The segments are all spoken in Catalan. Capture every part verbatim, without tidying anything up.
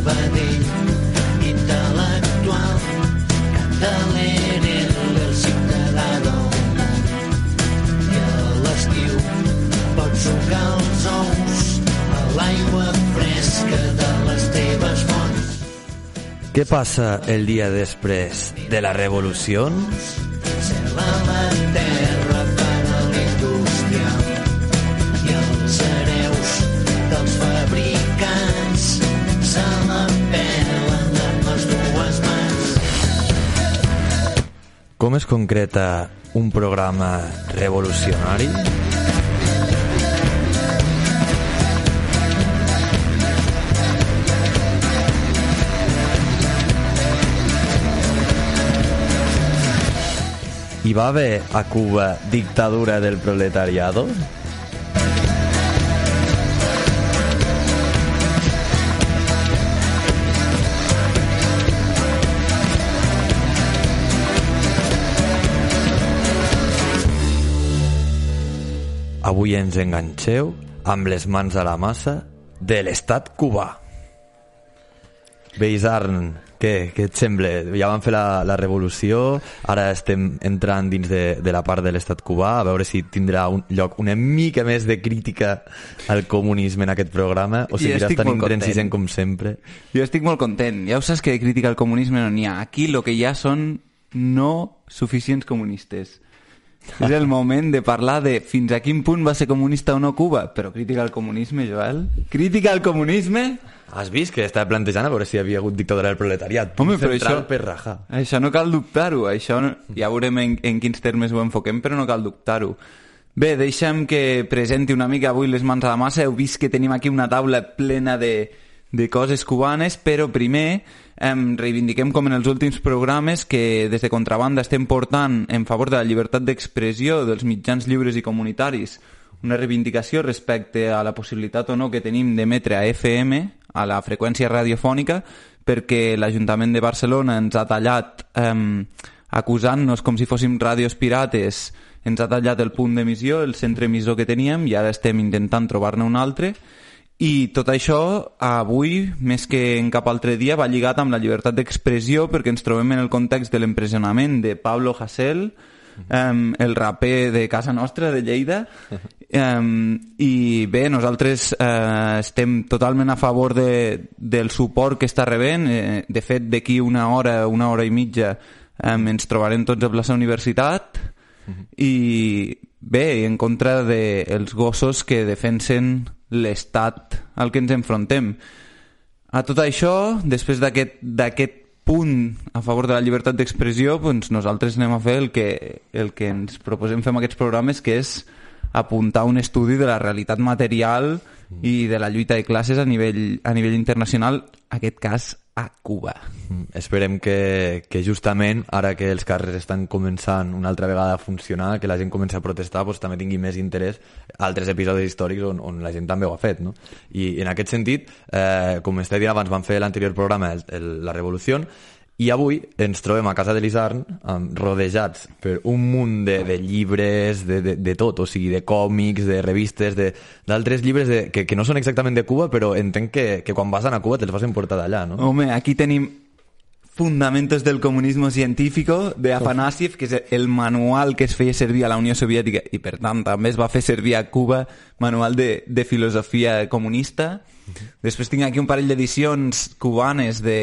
Sabadell, intel·lectual, catalere, el ciutadà del món. I a l'estiu pots sucar els ous a l'aigua fresca de les teves fonts. Què passa el dia després de la revolució? Cel a la terra per a la indústria i els hereus dels fabricants se la pelen amb les dues mans. Com es concreta un programa revolucionari? Hi va haver a Cuba dictadura del proletariado? Avui ens enganxeu amb les mans a la massa de l'estat cubà. Beisarn, què, què et sembla? Ja vam fer la, la revolució, ara estem entrant dins de, de la part de l'estat cubà, a veure si tindrà un lloc una mica més de crítica al comunisme en aquest programa, o seguiràs tan intransigent com sempre. Jo estic molt content. Ja ho saps que de crítica al comunisme no n'hi ha. Aquí el que hi ha són no suficients comunistes. És el moment de parlar de fins a quin punt va ser comunista o no Cuba. Però crítica al comunisme, Joel? Crítica al comunisme? Has vist que estava plantejant a veure si hi havia hagut dictadura del proletariat? Home, però això, per rajar. Això no cal dubtar-ho. Això no, ja veurem en, en quins termes ho enfoquem, però no cal dubtar-ho. Bé, deixa'm que presenti una mica avui les mans a la massa. Heu vist que tenim aquí una taula plena de, de coses cubanes, però primer em reivindiquem com en els últims programes que des de Contrabanda estem portant en favor de la llibertat d'expressió dels mitjans lliures i comunitaris, una reivindicació respecte a la possibilitat o no que tenim d'emetre a F M, a la freqüència radiofònica, perquè l'Ajuntament de Barcelona ens ha tallat, eh, acusant-nos com si fóssim ràdios pirates, ens ha tallat el punt d'emissió, el centre emissor que teníem, i ara estem intentant trobar-ne un altre. I tot això, avui, més que en cap altre dia, va lligat amb la llibertat d'expressió, perquè ens trobem en el context de l'empresonament de Pablo Hasél, um, el raper de casa nostra, de Lleida. Um, I bé, nosaltres uh, estem totalment a favor de, del suport que està rebent. Eh, de fet, d'aquí una hora, una hora i mitja, um, ens trobarem tots a plaça Universitat. I bé, en contra dels gossos que defensen l'estat al que ens enfrontem. A tot això, després d'aquest d'aquest punt a favor de la llibertat d'expressió, doncs nosaltres anem a fer el que, el que ens proposem fer amb aquests programes, que és apuntar un estudi de la realitat material i de la lluita de classes a nivell, a nivell internacional, en aquest cas a Cuba. Mm, esperem que, que justament ara que els carrers estan començant una altra vegada a funcionar, que la gent comença a protestar, doncs també tingui més interès altres episodis històrics on, on la gent també ho ha fet, no? I en aquest sentit, eh, com estava dient abans, vam fer l'anterior programa, el, el, la Revolució, i avui ens trobem a casa de l'Isarn um, rodejats per un munt de, de llibres, de, de, de tot, o sigui, de còmics, de revistes, d'altres llibres de, que, que no són exactament de Cuba, però entenc que, que quan vas anar a Cuba te'ls vas emportar d'allà, no? Home, aquí tenim Fundamentos del Comunismo Científico de Afanasiev, que és el manual que es feia servir a la Unió Soviètica i per tant també es va fer servir a Cuba, manual de, de filosofia comunista. Uh-huh. Després tinc aquí un parell d'edicions cubanes de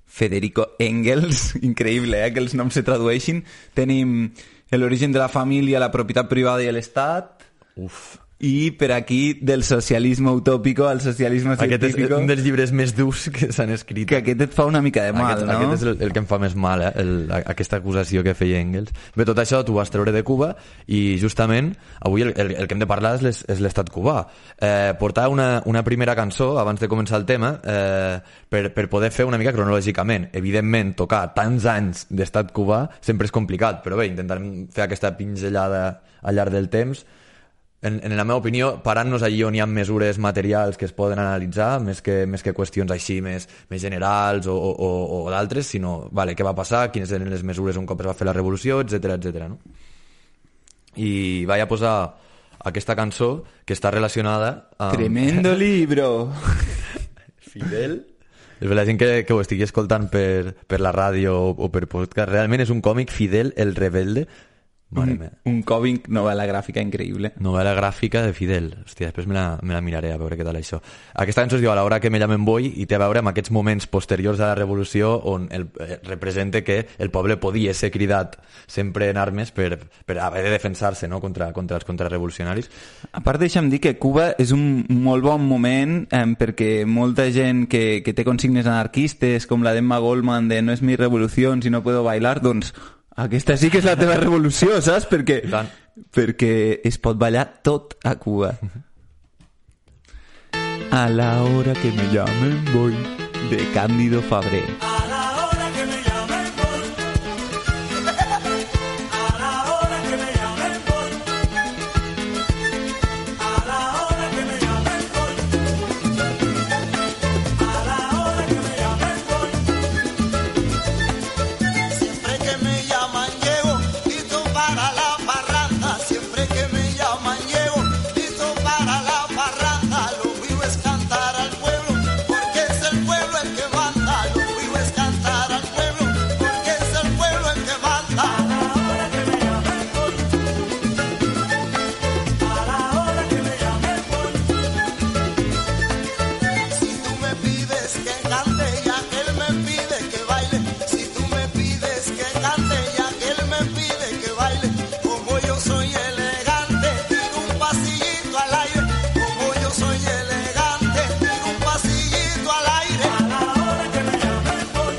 Federico Engels, increïble, eh, que els noms se tradueixin. Tenim l'origen de la família, la propietat privada i l'estat. Uf. I per aquí del socialisme utòpico al socialisme científico. Aquest és un dels llibres més durs que s'han escrit. Que aquest et fa una mica de mal, aquest, no? Aquest és el, el que em fa més mal, eh? el, aquesta acusació que feia Engels. Bé, tot això t'ho vas treure de Cuba i justament avui el, el, el que hem de parlar és, les, és l'estat cubà. Eh, portar una, una primera cançó abans de començar el tema eh, per, per poder fer una mica cronològicament. Evidentment, tocar tants anys d'estat cubà sempre és complicat, però bé, intentarem fer aquesta pinzellada al llarg del temps. En, en la meva opinió, parant-nos allí on hi ha mesures materials que es poden analitzar, més que, més que qüestions així més, més generals o, o, o d'altres, sinó, vale, què va passar, quines eren les mesures un cop es va fer la revolució, etcètera, etcètera, no? I vaig a posar aquesta cançó que està relacionada amb... Tremendo libro! Fidel La gent que, que ho estigui escoltant per, per la ràdio o, o per podcast, realment és un còmic Fidel el Rebelde. Mare un, meva. un còmic, novel·la gràfica increïble. Novel·la gràfica de Fidel. Hòstia, després me la, me la miraré a veure què tal això. Aquesta cançó es diu A l'hora que me llamen voy i té a veure amb aquests moments posteriors a la revolució on el, eh, representa que el poble podia ser cridat sempre en armes per, per haver de defensar-se, no? contra, contra els contrarrevolucionaris. A part, deixa'm dir que Cuba és un molt bon moment eh, perquè molta gent que, que té consignes anarquistes com la d'Emma Goldman de no és mi revolució si no puedo bailar, doncs aquesta sí que és la teva revolució, saps? Perquè, perquè es pot ballar tot a Cuba. A la hora que me llamen voy, de Cándido Fabré. A la hora que me llamen voy. A la hora que me llamen voy. A la hora que me llamen voy. A la hora que me llamen voy. Siempre que me llaman llego, listo para la parranda. Siempre que me llaman llego, listo para la parranda. Lo mío es cantar al pueblo, porque es el pueblo el que manda. Lo mío es cantar al pueblo, porque es el pueblo el que manda. A la hora que me llamen voy. A la hora que me llamen voy. Si tú me pides que cante y aquel me pide que baile. Si tú me pides que cante y aquel me pide que baile. Como yo soy elegante, tiro un pasillito al aire. Como yo soy elegante, tiro un pasillito al aire. A la hora que me llamen voy.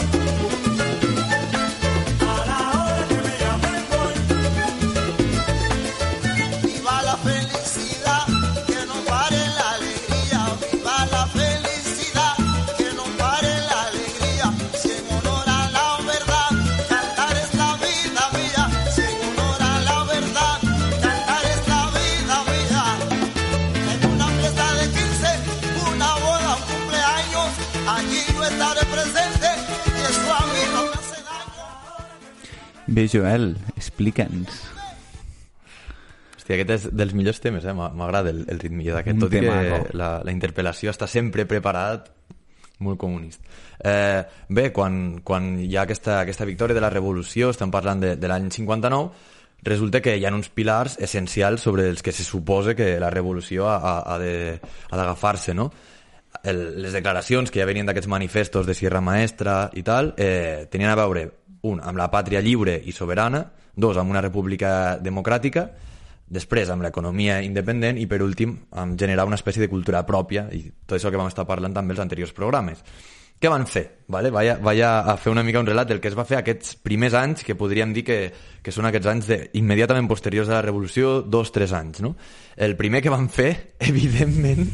A la hora que me llamen voy. Viva la felicidad, que no pare la alegría. Viva la felicidad, que no pare la alegría. Si en honor a la verdad, cantar es la vida mía. Si en honor a la verdad, cantar es la vida mía. En una fiesta de quince, una boda, un cumpleaños, allí yo estaré presente y eso a mí no me hace daño. Bé, Joel, explica'ns. Hòstia, aquest és dels millors temes, eh? M'a- m'agrada el, el ritmillo d'aquest, Un tot i que temazo. la, la interpel·lació està sempre preparat, molt comunista. Eh, bé, quan, quan hi ha aquesta, aquesta victòria de la revolució, estem parlant de, de l'any cinquanta-nou, resulta que hi ha uns pilars essencials sobre els que se suposa que la revolució ha, ha, ha de- ha d'agafar-se, no? El, les declaracions que ja venien d'aquests manifestos de Sierra Maestra i tal, eh, tenien a veure, un, amb la pàtria lliure i soberana, dos, amb una república democràtica, després amb l'economia independent i per últim amb generar una espècie de cultura pròpia i tot això que vam estar parlant també els anteriors programes. Què van fer? Vale? Vaig, a, vaig a fer una mica un relat del que es va fer aquests primers anys, que podríem dir que, que són aquests anys de, immediatament posteriors a la revolució, dos, tres anys. No? El primer que van fer, evidentment,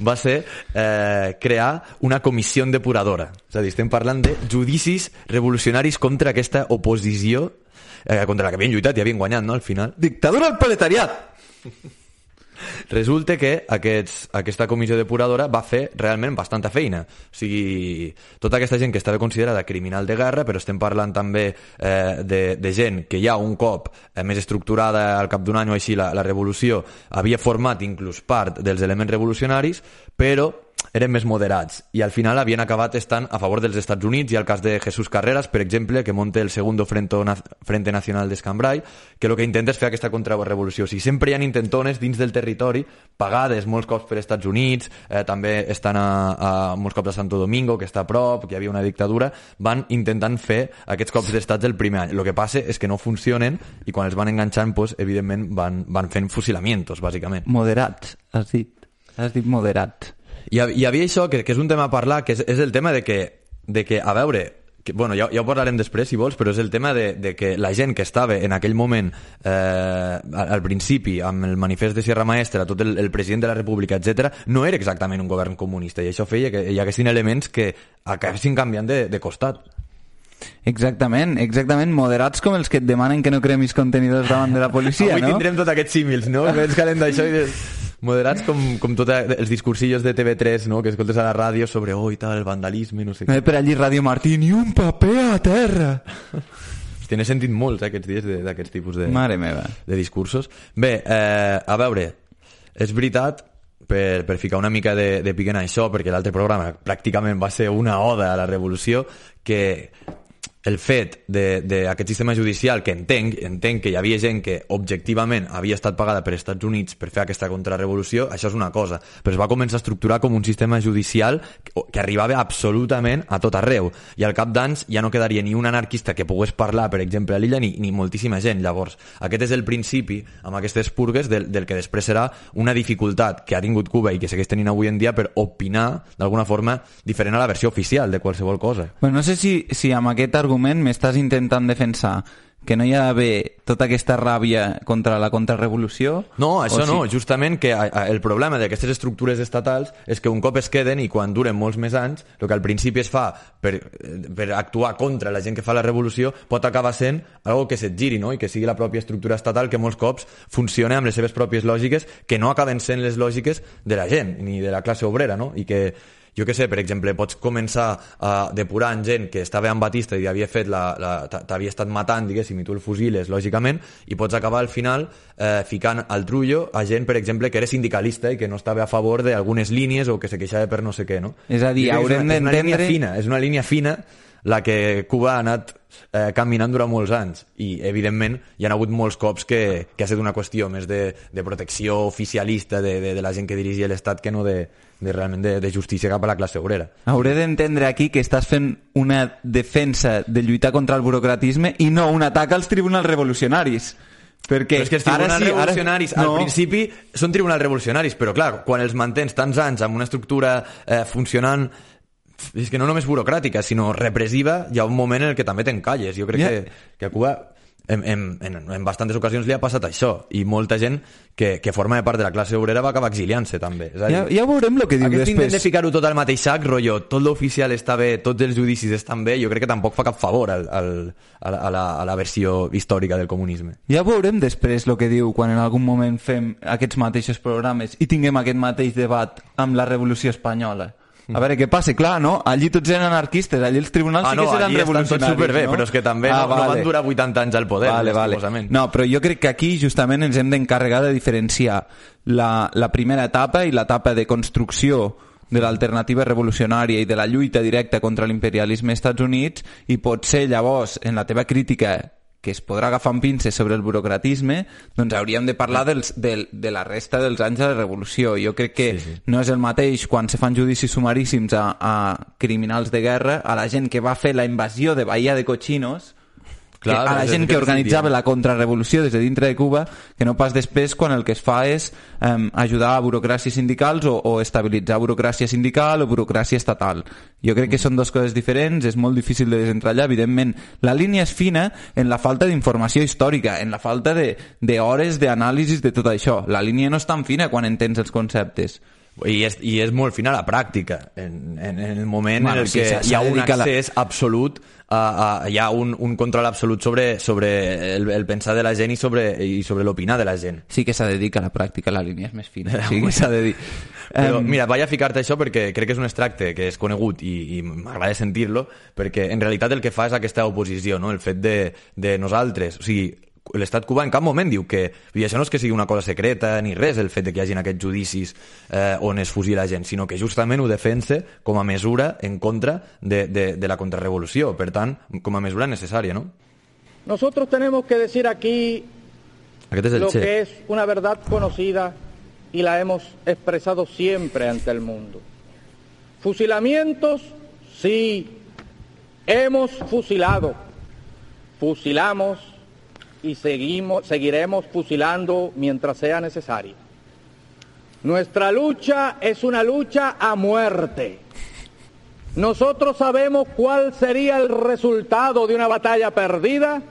va ser eh, crear una comissió depuradora. És a dir, estem parlant de judicis revolucionaris contra aquesta oposició eh, contra la que havien lluitat i havien guanyat, no?, al final. Dictadura al proletariat! Resulta que aquests, aquesta comissió depuradora va fer realment bastanta feina. O sigui, tota aquesta gent que estava considerada criminal de guerra, però estem parlant també eh, de, de gent que ja un cop eh, més estructurada al cap d'un any o així la, la revolució havia format inclús part dels elements revolucionaris, però eren més moderats i al final havien acabat estant a favor dels Estats Units. Hi ha el cas de Jesús Carreras, per exemple, que monta el Segundo Frente, Frente Nacional d'Escambray, que el que intenta és fer aquesta contrarrevolució. O sigui, sempre hi ha intentones dins del territori, pagades molts cops per Estats Units, eh, també estan a, a molts cops a Santo Domingo, que està a prop, que hi havia una dictadura, van intentant fer aquests cops d'estats el primer any. El que passa és que no funcionen i quan els van enganxant, pues, evidentment van, van fent fusilamientos, bàsicament. Moderats, has dit. Has dit moderats. Hi, hi havia això, que, que és un tema a parlar, que és, és el tema de que, de que a veure, que, bueno, ja, ja ho parlarem després si vols, però és el tema de, de que la gent que estava en aquell moment eh, al, al principi amb el manifest de Sierra Maestra, tot el, el president de la República, etcètera, no era exactament un govern comunista i això feia que hi haguessin elements que acabessin canviant de, de costat. Exactament, exactament, moderats com els que et demanen que no cremis contenidors davant de la policia, Avui no? tindrem tots aquests símils, no? Que ens calen d'això i de... Moderats com, com tots els discursillos de T V tres, no?, que escoltes a la ràdio sobre oh, i tal, el vandalisme, no sé No què. hi per allí Ràdio Martí, ni un paper a terra. Hòstia, n'he sentit molts eh, aquests dies de- d'aquests tipus de, Mare meva. de discursos. Bé, eh, a veure, és veritat per, per ficar una mica de, de pic en això, perquè l'altre programa pràcticament va ser una oda a la revolució, que el fet d'aquest sistema judicial, que entenc, entenc que hi havia gent que objectivament havia estat pagada per Estats Units per fer aquesta contrarrevolució, això és una cosa, però es va començar a estructurar com un sistema judicial que, que arribava absolutament a tot arreu, i al cap d'anys ja no quedaria ni un anarquista que pogués parlar, per exemple, a l'illa, ni, ni moltíssima gent. Llavors, aquest és el principi, amb aquestes purgues, del, del que després serà una dificultat que ha tingut Cuba i que segueix tenint avui en dia per opinar d'alguna forma diferent a la versió oficial de qualsevol cosa. Bueno, no sé si, si amb aquest argument m'estàs intentant defensar que no hi ha d'haver tota aquesta ràbia contra la contrarrevolució? No, això sí? no, justament que el problema d'aquestes estructures estatals és que un cop es queden i quan duren molts més anys, el que al principi es fa per, per actuar contra la gent que fa la revolució pot acabar sent algo que se't giri, no? I que sigui la pròpia estructura estatal que molts cops funciona amb les seves pròpies lògiques, que no acaben sent les lògiques de la gent ni de la classe obrera, no? I que jo què sé, per exemple, pots començar a depurar en gent que estava amb Batista i havia fet la, la, t'havia estat matant, diguéssim, i tu el fusiles, lògicament, i pots acabar al final eh, ficant al trullo a gent, per exemple, que era sindicalista i que no estava a favor d'algunes línies o que se queixava per no sé què, no? És a dir, haurem d'entendre... És una línia fina, és una línia fina la que Cuba ha anat eh, caminant durant molts anys i, evidentment, hi ha hagut molts cops que, que ha estat una qüestió més de, de protecció oficialista de, de, de la gent que dirigia l'Estat que no de, de realment de, de justícia cap a la classe obrera. Hauré d'entendre aquí que estàs fent una defensa de lluitar contra el burocratisme i no un atac als tribunals revolucionaris. Perquè però és que els tribunals sí, revolucionaris ara... al no. principi són tribunals revolucionaris, però clar, quan els mantens tants anys amb una estructura eh, funcionant, és que no només burocràtica, sinó repressiva, hi ha un moment en el que també t'encalles. Jo crec yeah. que, que a Cuba en, en, en, en bastantes ocasions li ha passat això, i molta gent que, que forma part de la classe obrera va acabar exiliant-se també. És a dir, ja, ja veurem el que diu aquest després. intent de ficar-ho tot al mateix sac, rotllo, tot l'oficial està bé, tots els judicis estan bé, jo crec que tampoc fa cap favor al, al, a, la, a, la, a la versió històrica del comunisme. Ja veurem després el que diu quan en algun moment fem aquests mateixos programes i tinguem aquest mateix debat amb la Revolució Espanyola. A veure què passa, clar, no? Allí tots eren anarquistes, allí els tribunals ah, sí que no, seran revolucionaris. Ah, no, allí estan tots superbé, no? Però és que també ah, no, vale. no van durar vuitanta anys al poder. Vale, vale. No, però jo crec que aquí justament ens hem d'encarregar de diferenciar la, la primera etapa i l'etapa de construcció de l'alternativa revolucionària i de la lluita directa contra l'imperialisme als Estats Units, i potser llavors, en la teva crítica que es podrà agafar amb pinces sobre el burocratisme, doncs hauríem de parlar dels, de, de la resta dels anys de la revolució. Jo crec que sí, sí. no és el mateix quan se fan judicis sumaríssims a, a criminals de guerra, a la gent que va fer la invasió de Bahía de Cochinos, Clar, a la gent que organitzava la contrarrevolució des de dintre de Cuba, que no pas després quan el que es fa és um, ajudar a burocràcies sindicals o, o estabilitzar burocràcia sindical o burocràcia estatal. Jo crec que són dues coses diferents, és molt difícil de desentratllar, evidentment. La línia és fina en la falta d'informació històrica, en la falta d'hores d'anàlisis de tot això. La línia no és tan fina quan entens els conceptes. I és, i és molt fina la pràctica, en, en, en el moment bueno, en el sí, que hi ha un accés la... absolut, a, a, hi ha un, un control absolut sobre, sobre el, el pensar de la gent i sobre, i sobre l'opinar de la gent. Sí que s'ha de dir que la pràctica, la línia és més fina, sí que s'ha de dir. Però mira, vaig a ficar-te això perquè crec que és un extracte que és conegut i, i m'agrada sentir-lo, perquè en realitat el que fa és aquesta oposició, no? El fet de, de nosaltres, o sigui, l'estat cubà en cap moment diu que, i això no és que sigui una cosa secreta ni res, el fet de que hi hagin aquests judicis eh, on es fusila gent, sinó que justament ho defensa com a mesura en contra de, de, de la contrarrevolució, per tant, com a mesura necessària, ¿no? Nosotros tenemos que decir aquí Aquest és el lo che. que es una verdad conocida y la hemos expresado siempre ante el mundo. Fusilamientos, sí, hemos fusilado, fusilamos y seguimos, seguiremos fusilando mientras sea necesario. Nuestra lucha es una lucha a muerte. Nosotros sabemos cuál sería el resultado de una batalla perdida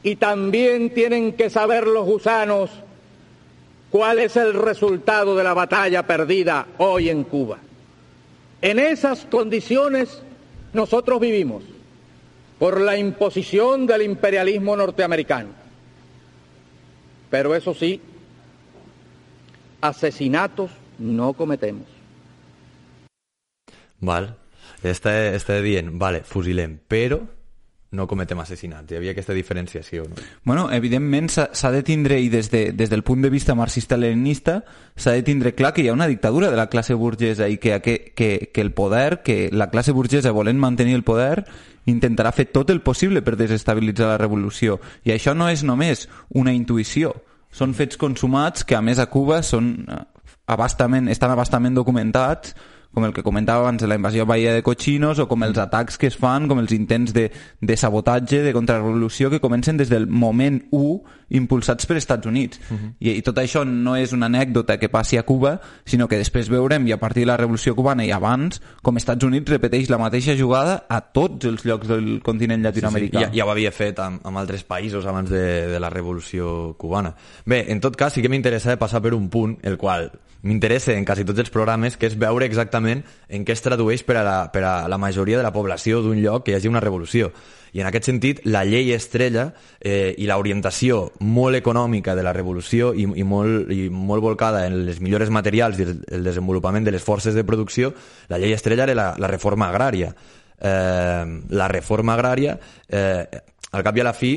y también tienen que saber los gusanos cuál es el resultado de la batalla perdida hoy en Cuba. En esas condiciones nosotros vivimos, por la imposición del imperialismo norteamericano. Pero eso sí, asesinatos no cometemos. Val, està, està dient, vale, fusilem, però no cometem assassinats. Hi havia aquesta diferenciació. No? Bueno, evidentment s'ha de tindre, i des, de, des del punt de vista marxista-leninista, s'ha de tindre clar que hi ha una dictadura de la classe burgesa i que, que, que, que el poder, que la classe burgesa volent mantenir el poder, intentarà fer tot el possible per desestabilitzar la revolució. I això no és només una intuïció, són fets consumats que a més a Cuba són abastament, estan abastament documentats, com el que comentava abans de la invasió a Bahia de Cochinos, o com els atacs que es fan, com els intents de, de sabotatge, de contrarrevolució, que comencen des del moment u, impulsats per Estats Units. Uh-huh. I, I tot això no és una anècdota que passi a Cuba, sinó que després veurem, i a partir de la Revolució Cubana i abans, com Estats Units repeteix la mateixa jugada a tots els llocs del continent llatinoamericà. Sí, sí. Ja, ja ho havia fet amb, amb altres països abans de, de la Revolució Cubana. Bé, en tot cas, sí que m'interessa passar per un punt, el qual m'interessa en quasi tots els programes, que és veure exactament en què es tradueix per a la, per a la majoria de la població d'un lloc que hi hagi una revolució. I en aquest sentit, la llei estrella eh, i l'orientació molt econòmica de la revolució i, i, molt, i molt volcada en les millores materials i el, el desenvolupament de les forces de producció, la llei estrella era la, la reforma agrària. Eh, la reforma agrària, eh, al cap i a la fi,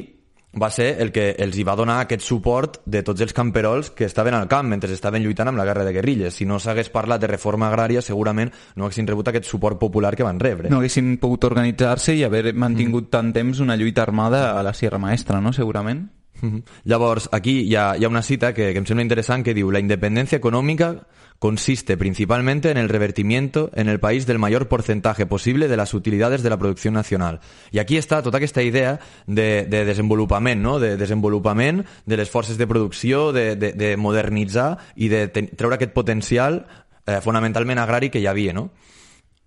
va ser el que els hi va donar aquest suport de tots els camperols que estaven al camp mentre estaven lluitant amb la guerra de guerrilles. Si no s'hagués parlat de reforma agrària, segurament no haguessin rebut aquest suport popular que van rebre. No haguessin pogut organitzar-se i haver mantingut mm. tant temps una lluita armada a la Sierra Maestra, no? Segurament. Mm-hmm. Llavors, aquí hi ha, hi ha una cita que, que em sembla interessant que diu: la independencia económica consiste principalmente en el revertimiento en el país del mayor porcentaje posible de las utilidades de la producción nacional. I aquí està tota aquesta idea de, de desenvolupament, no? De desenvolupament de les forces de producció, de, de, de modernitzar i de ten, treure aquest potencial eh, fonamentalment agrari que hi havia, no?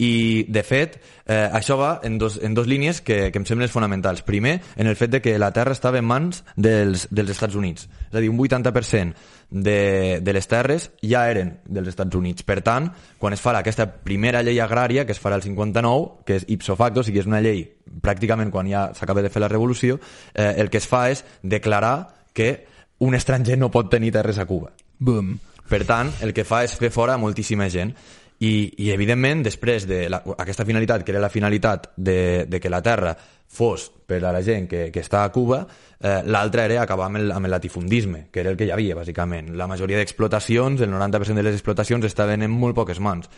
I, de fet, eh, això va en dos, en dos línies que, que em semblen fonamentals. Primer, en el fet de que la terra estava en mans dels, dels Estats Units. És a dir, un vuitanta per cent de, de les terres ja eren dels Estats Units. Per tant, quan es fa aquesta primera llei agrària, que es farà el cinquanta-nou, que és ipso facto, o sigui, és una llei pràcticament quan ja s'acaba de fer la revolució, eh, el que es fa és declarar que un estranger no pot tenir terres a Cuba. Boom. Per tant, el que fa és fer fora a moltíssima gent. I, i evidentment, després d'aquesta finalitat, que era la finalitat de, de que la terra fos per a la gent que, que està a Cuba, eh, l'altra era acabar amb el, amb el latifundisme, que era el que hi havia, bàsicament. La majoria d'explotacions, el noranta per cent de les explotacions, estaven en molt poques mans.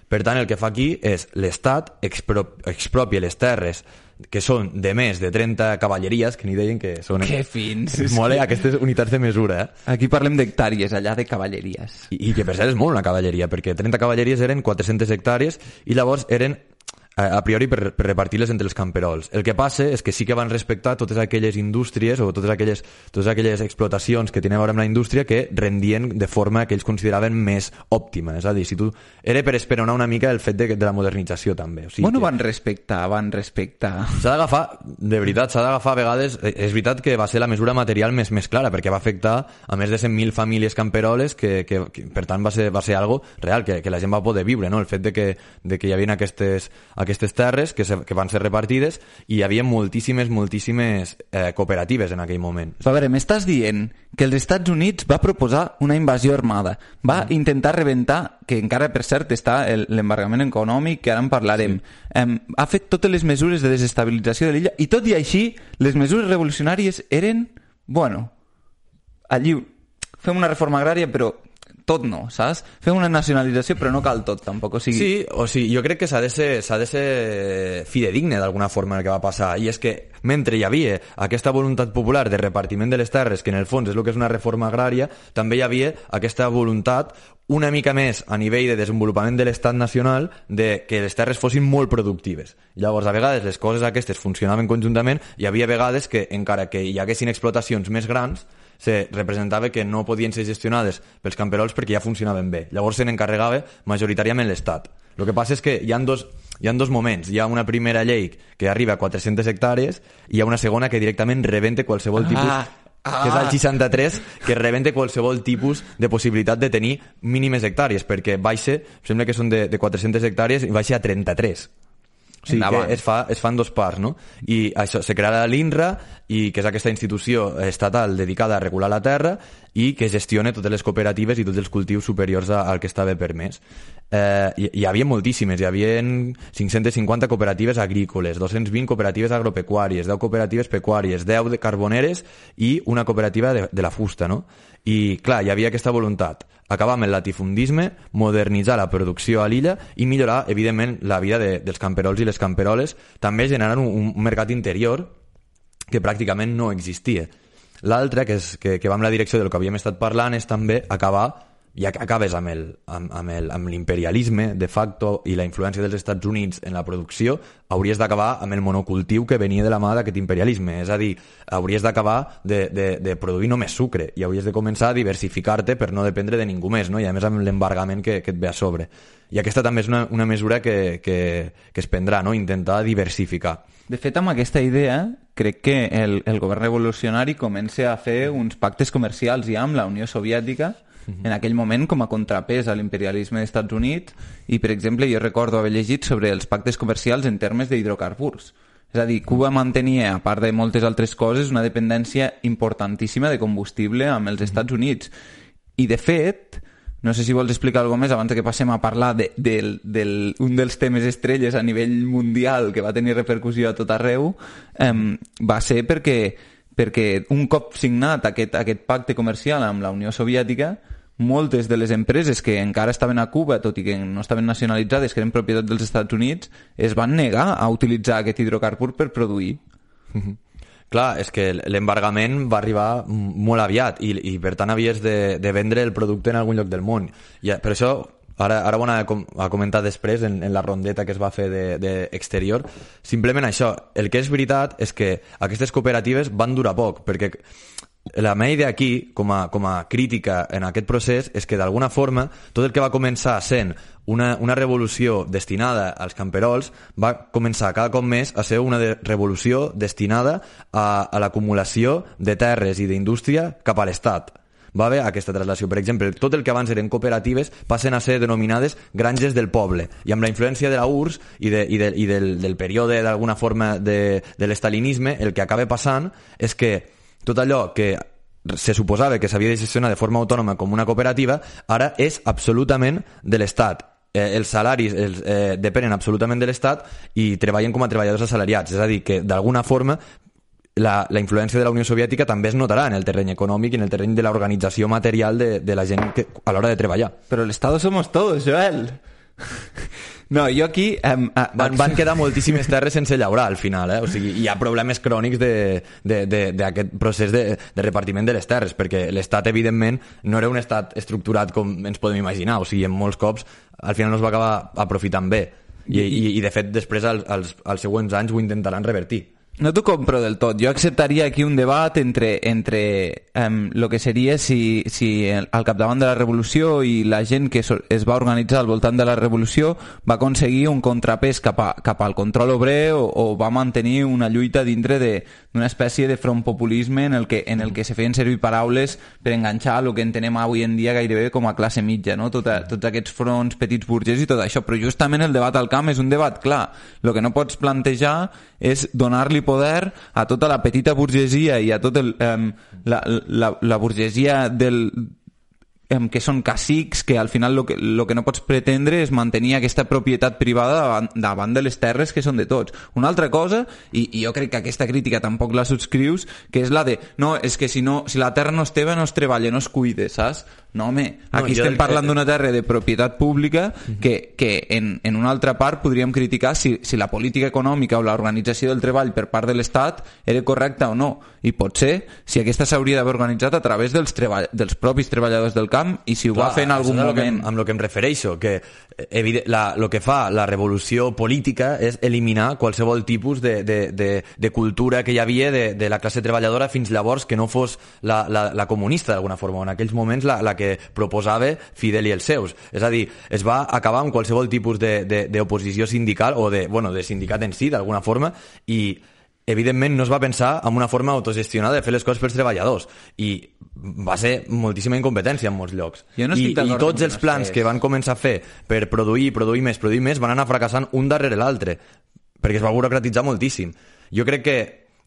Per tant, el que fa aquí és l'Estat expro, expropia les terres que són de més de trenta cavalleries, que n'hi deien que són... Que fins! Molt, eh? Aquestes unitats de mesura, eh? Aquí parlem d'hectàrees, allà de cavalleries. I, I que per cert és molt una cavalleria, perquè trenta cavalleries eren quatre-centes hectàrees i llavors eren a priori per, per repartir-les entre els camperols. El que passa és que sí que van respectar totes aquelles indústries o totes aquelles, totes aquelles explotacions que tenien a veure amb la indústria que rendien de forma que ells consideraven més òptima. És a dir, si tu... era per esperonar una mica el fet de, de la modernització també. O sigui, bueno, que... van respectar, van respectar. S'ha d'agafar, de veritat, s'ha d'agafar a vegades... És veritat que va ser la mesura material més, més clara, perquè va afectar a més de cent mil famílies camperoles que, que, que per tant va ser, va ser algo real, que, que la gent va poder viure, no? El fet de que, de que hi havia aquestes... aquestes terres que, se, que van ser repartides i hi havia moltíssimes, moltíssimes eh, cooperatives en aquell moment. A veure, m'estàs dient que els Estats Units va proposar una invasió armada, va mm. intentar rebentar, que encara per cert està l'embargament econòmic, que ara en parlarem, sí. eh, ha fet totes les mesures de desestabilització de l'illa i tot i així les mesures revolucionàries eren, bueno, allí fem una reforma agrària però tot no, saps? Fem una nacionalització però no cal tot tampoc, o sigui... Sí, o sigui, jo crec que s'ha de ser, s'ha de ser fidedigne d'alguna forma el que va passar, i és que mentre hi havia aquesta voluntat popular de repartiment de les terres, que en el fons és el que és una reforma agrària, també hi havia aquesta voluntat una mica més a nivell de desenvolupament de l'estat nacional de que les terres fossin molt productives. Llavors, a vegades les coses aquestes funcionaven conjuntament, hi havia vegades que, encara que hi haguessin explotacions més grans, se representava que no podien ser gestionades pels camperols perquè ja funcionaven bé. Llavors se n'encarregava majoritàriament l'Estat. El que passa és que hi ha dos, hi ha dos moments. Hi ha una primera llei que arriba a quatre-centes hectàrees i hi ha una segona que directament rebenta qualsevol tipus... Ah. Ah. Que és el seixanta-tres, que rebenta qualsevol tipus de possibilitat de tenir mínimes hectàrees, perquè baixa, sembla que són de, de quatre-centes hectàrees i baixa a trenta-tres. O sigui que es, fa, es fan dos parts, no? I això, se crearà l'INRA, i que és aquesta institució estatal dedicada a regular la terra, i que gestione totes les cooperatives i tots els cultius superiors a, al que estava permès. Eh, hi, hi havia moltíssimes, hi havia cinc-centes cinquanta cooperatives agrícoles, dos-cents vint cooperatives agropecuàries, deu cooperatives pecuàries, deu de carboneres i una cooperativa de, de la fusta, no? I clar, hi havia aquesta voluntat, acabar amb el latifundisme, modernitzar la producció a l'illa i millorar, evidentment, la vida de, dels camperols i les camperoles, també generant un, un mercat interior que pràcticament no existia. L'altre, que, és, que, que va en la direcció del que havíem estat parlant, és també acabar, ja que acabes amb, el, amb, amb, el, amb l'imperialisme de facto i la influència dels Estats Units en la producció, hauries d'acabar amb el monocultiu que venia de la mà d'aquest imperialisme. És a dir, hauries d'acabar de, de, de produir només sucre i hauries de començar a diversificar-te per no dependre de ningú més, no? I a més amb l'embargament que, que et ve a sobre. I aquesta també és una, una mesura que, que, que es prendrà, no? Intentar diversificar. De fet, amb aquesta idea, crec que el, el govern revolucionari comença a fer uns pactes comercials ja amb la Unió Soviètica, uh-huh. en aquell moment com a contrapès a l'imperialisme dels Estats Units, i, per exemple, jo recordo haver llegit sobre els pactes comercials en termes d'hidrocarburs. És a dir, Cuba mantenia, a part de moltes altres coses, una dependència importantíssima de combustible amb els Estats Units. I, de fet, no sé si vols explicar alguna més abans que passem a parlar de, de, de, de un dels temes estrelles a nivell mundial que va tenir repercussió a tot arreu, eh, va ser perquè, perquè un cop signat aquest, aquest pacte comercial amb la Unió Soviètica, moltes de les empreses que encara estaven a Cuba, tot i que no estaven nacionalitzades, que eren propietat dels Estats Units, es van negar a utilitzar aquest hidrocarbur per produir. Mm-hmm. Clar, és que l'embargament va arribar molt aviat i, i per tant havies de, de vendre el producte en algun lloc del món. I per això, ara, ara ho anava a comentar després en, en la rondeta que es va fer d'exterior, de, de simplement això, el que és veritat és que aquestes cooperatives van durar poc, perquè la meva idea aquí, com a, com a crítica en aquest procés, és que d'alguna forma tot el que va començar sent una, una revolució destinada als camperols va començar cada cop més a ser una de revolució destinada a, a l'acumulació de terres i d'indústria cap a l'Estat. Va haver aquesta traslació. Per exemple, tot el que abans eren cooperatives passen a ser denominades granges del poble. I amb la influència de la U R S s i, de, i, de, i del, del període, d'alguna forma, de, de l'estalinisme, el que acaba passant és que tot allò que se suposava que s'havia de gestionar de forma autònoma com una cooperativa, ara és absolutament de l'Estat. Eh, els salaris els, eh, depenen absolutament de l'Estat i treballen com a treballadors assalariats. És a dir, que d'alguna forma la, la influència de la Unió Soviètica també es notarà en el terreny econòmic i en el terreny de l'organització material de, de la gent que, a l'hora de treballar. Però l'Estado somos todos, Joel. No, jo aquí... Um, uh, van, van quedar moltíssimes terres sense llaurar al final, eh? O sigui, hi ha problemes crònics d'aquest procés de, de repartiment de les terres, perquè l'Estat, evidentment, no era un estat estructurat com ens podem imaginar, o sigui, en molts cops al final no es va acabar aprofitant bé i, i, i de fet després als, als, als següents anys ho intentaran revertir. No t'ho compro del tot. Jo acceptaria aquí un debat entre, entre um, lo que seria si, si al capdavant de la revolució i la gent que es va organitzar al voltant de la revolució va aconseguir un contrapès cap, a, cap al control obrer o, o va mantenir una lluita dintre d'una espècie de front populisme en el, que, en el que se feien servir paraules per enganxar el que entenem avui en dia gairebé com a classe mitja, no? Tot a, tots aquests fronts petits burgers i tot això. Però justament el debat al camp és un debat clar. El que no pots plantejar és donar-li poder a tota la petita burgesia i a tot el, um, la, la, la burgesia del, um, que són cacics, que al final lo que, lo que no pots pretendre és mantenir aquesta propietat privada davant, davant de les terres que són de tots. Una altra cosa, i, i jo crec que aquesta crítica tampoc la subscrius, que és la de, no, és que si, no, si la terra no és teva no es treballa, no es cuida, saps? No, home, aquí no, estem parlant que... d'una terra de propietat pública que, que en, en una altra part podríem criticar si, si la política econòmica o l'organització del treball per part de l'Estat era correcta o no. I potser si aquesta s'hauria d'haver organitzat a través dels, treball, dels propis treballadors del camp i si ho Clar, va fer en algun moment... Que, amb el que em refereixo, que el que fa la revolució política és eliminar qualsevol tipus de, de, de, de cultura que hi havia de, de la classe treballadora fins llavors que no fos la, la, la comunista d'alguna forma, en aquells moments la, la que proposava Fidel i els seus. És a dir, es va acabar amb qualsevol tipus d'oposició sindical o de, bueno, de sindicat en si, d'alguna forma, i evidentment no es va pensar en una forma autogestionada de fer les coses pels treballadors i va ser moltíssima incompetència en molts llocs. No I, i tots els plans que van començar a fer per produir, produir més, produir més, van anar fracassant un darrere l'altre perquè es va burocratitzar moltíssim. Jo crec que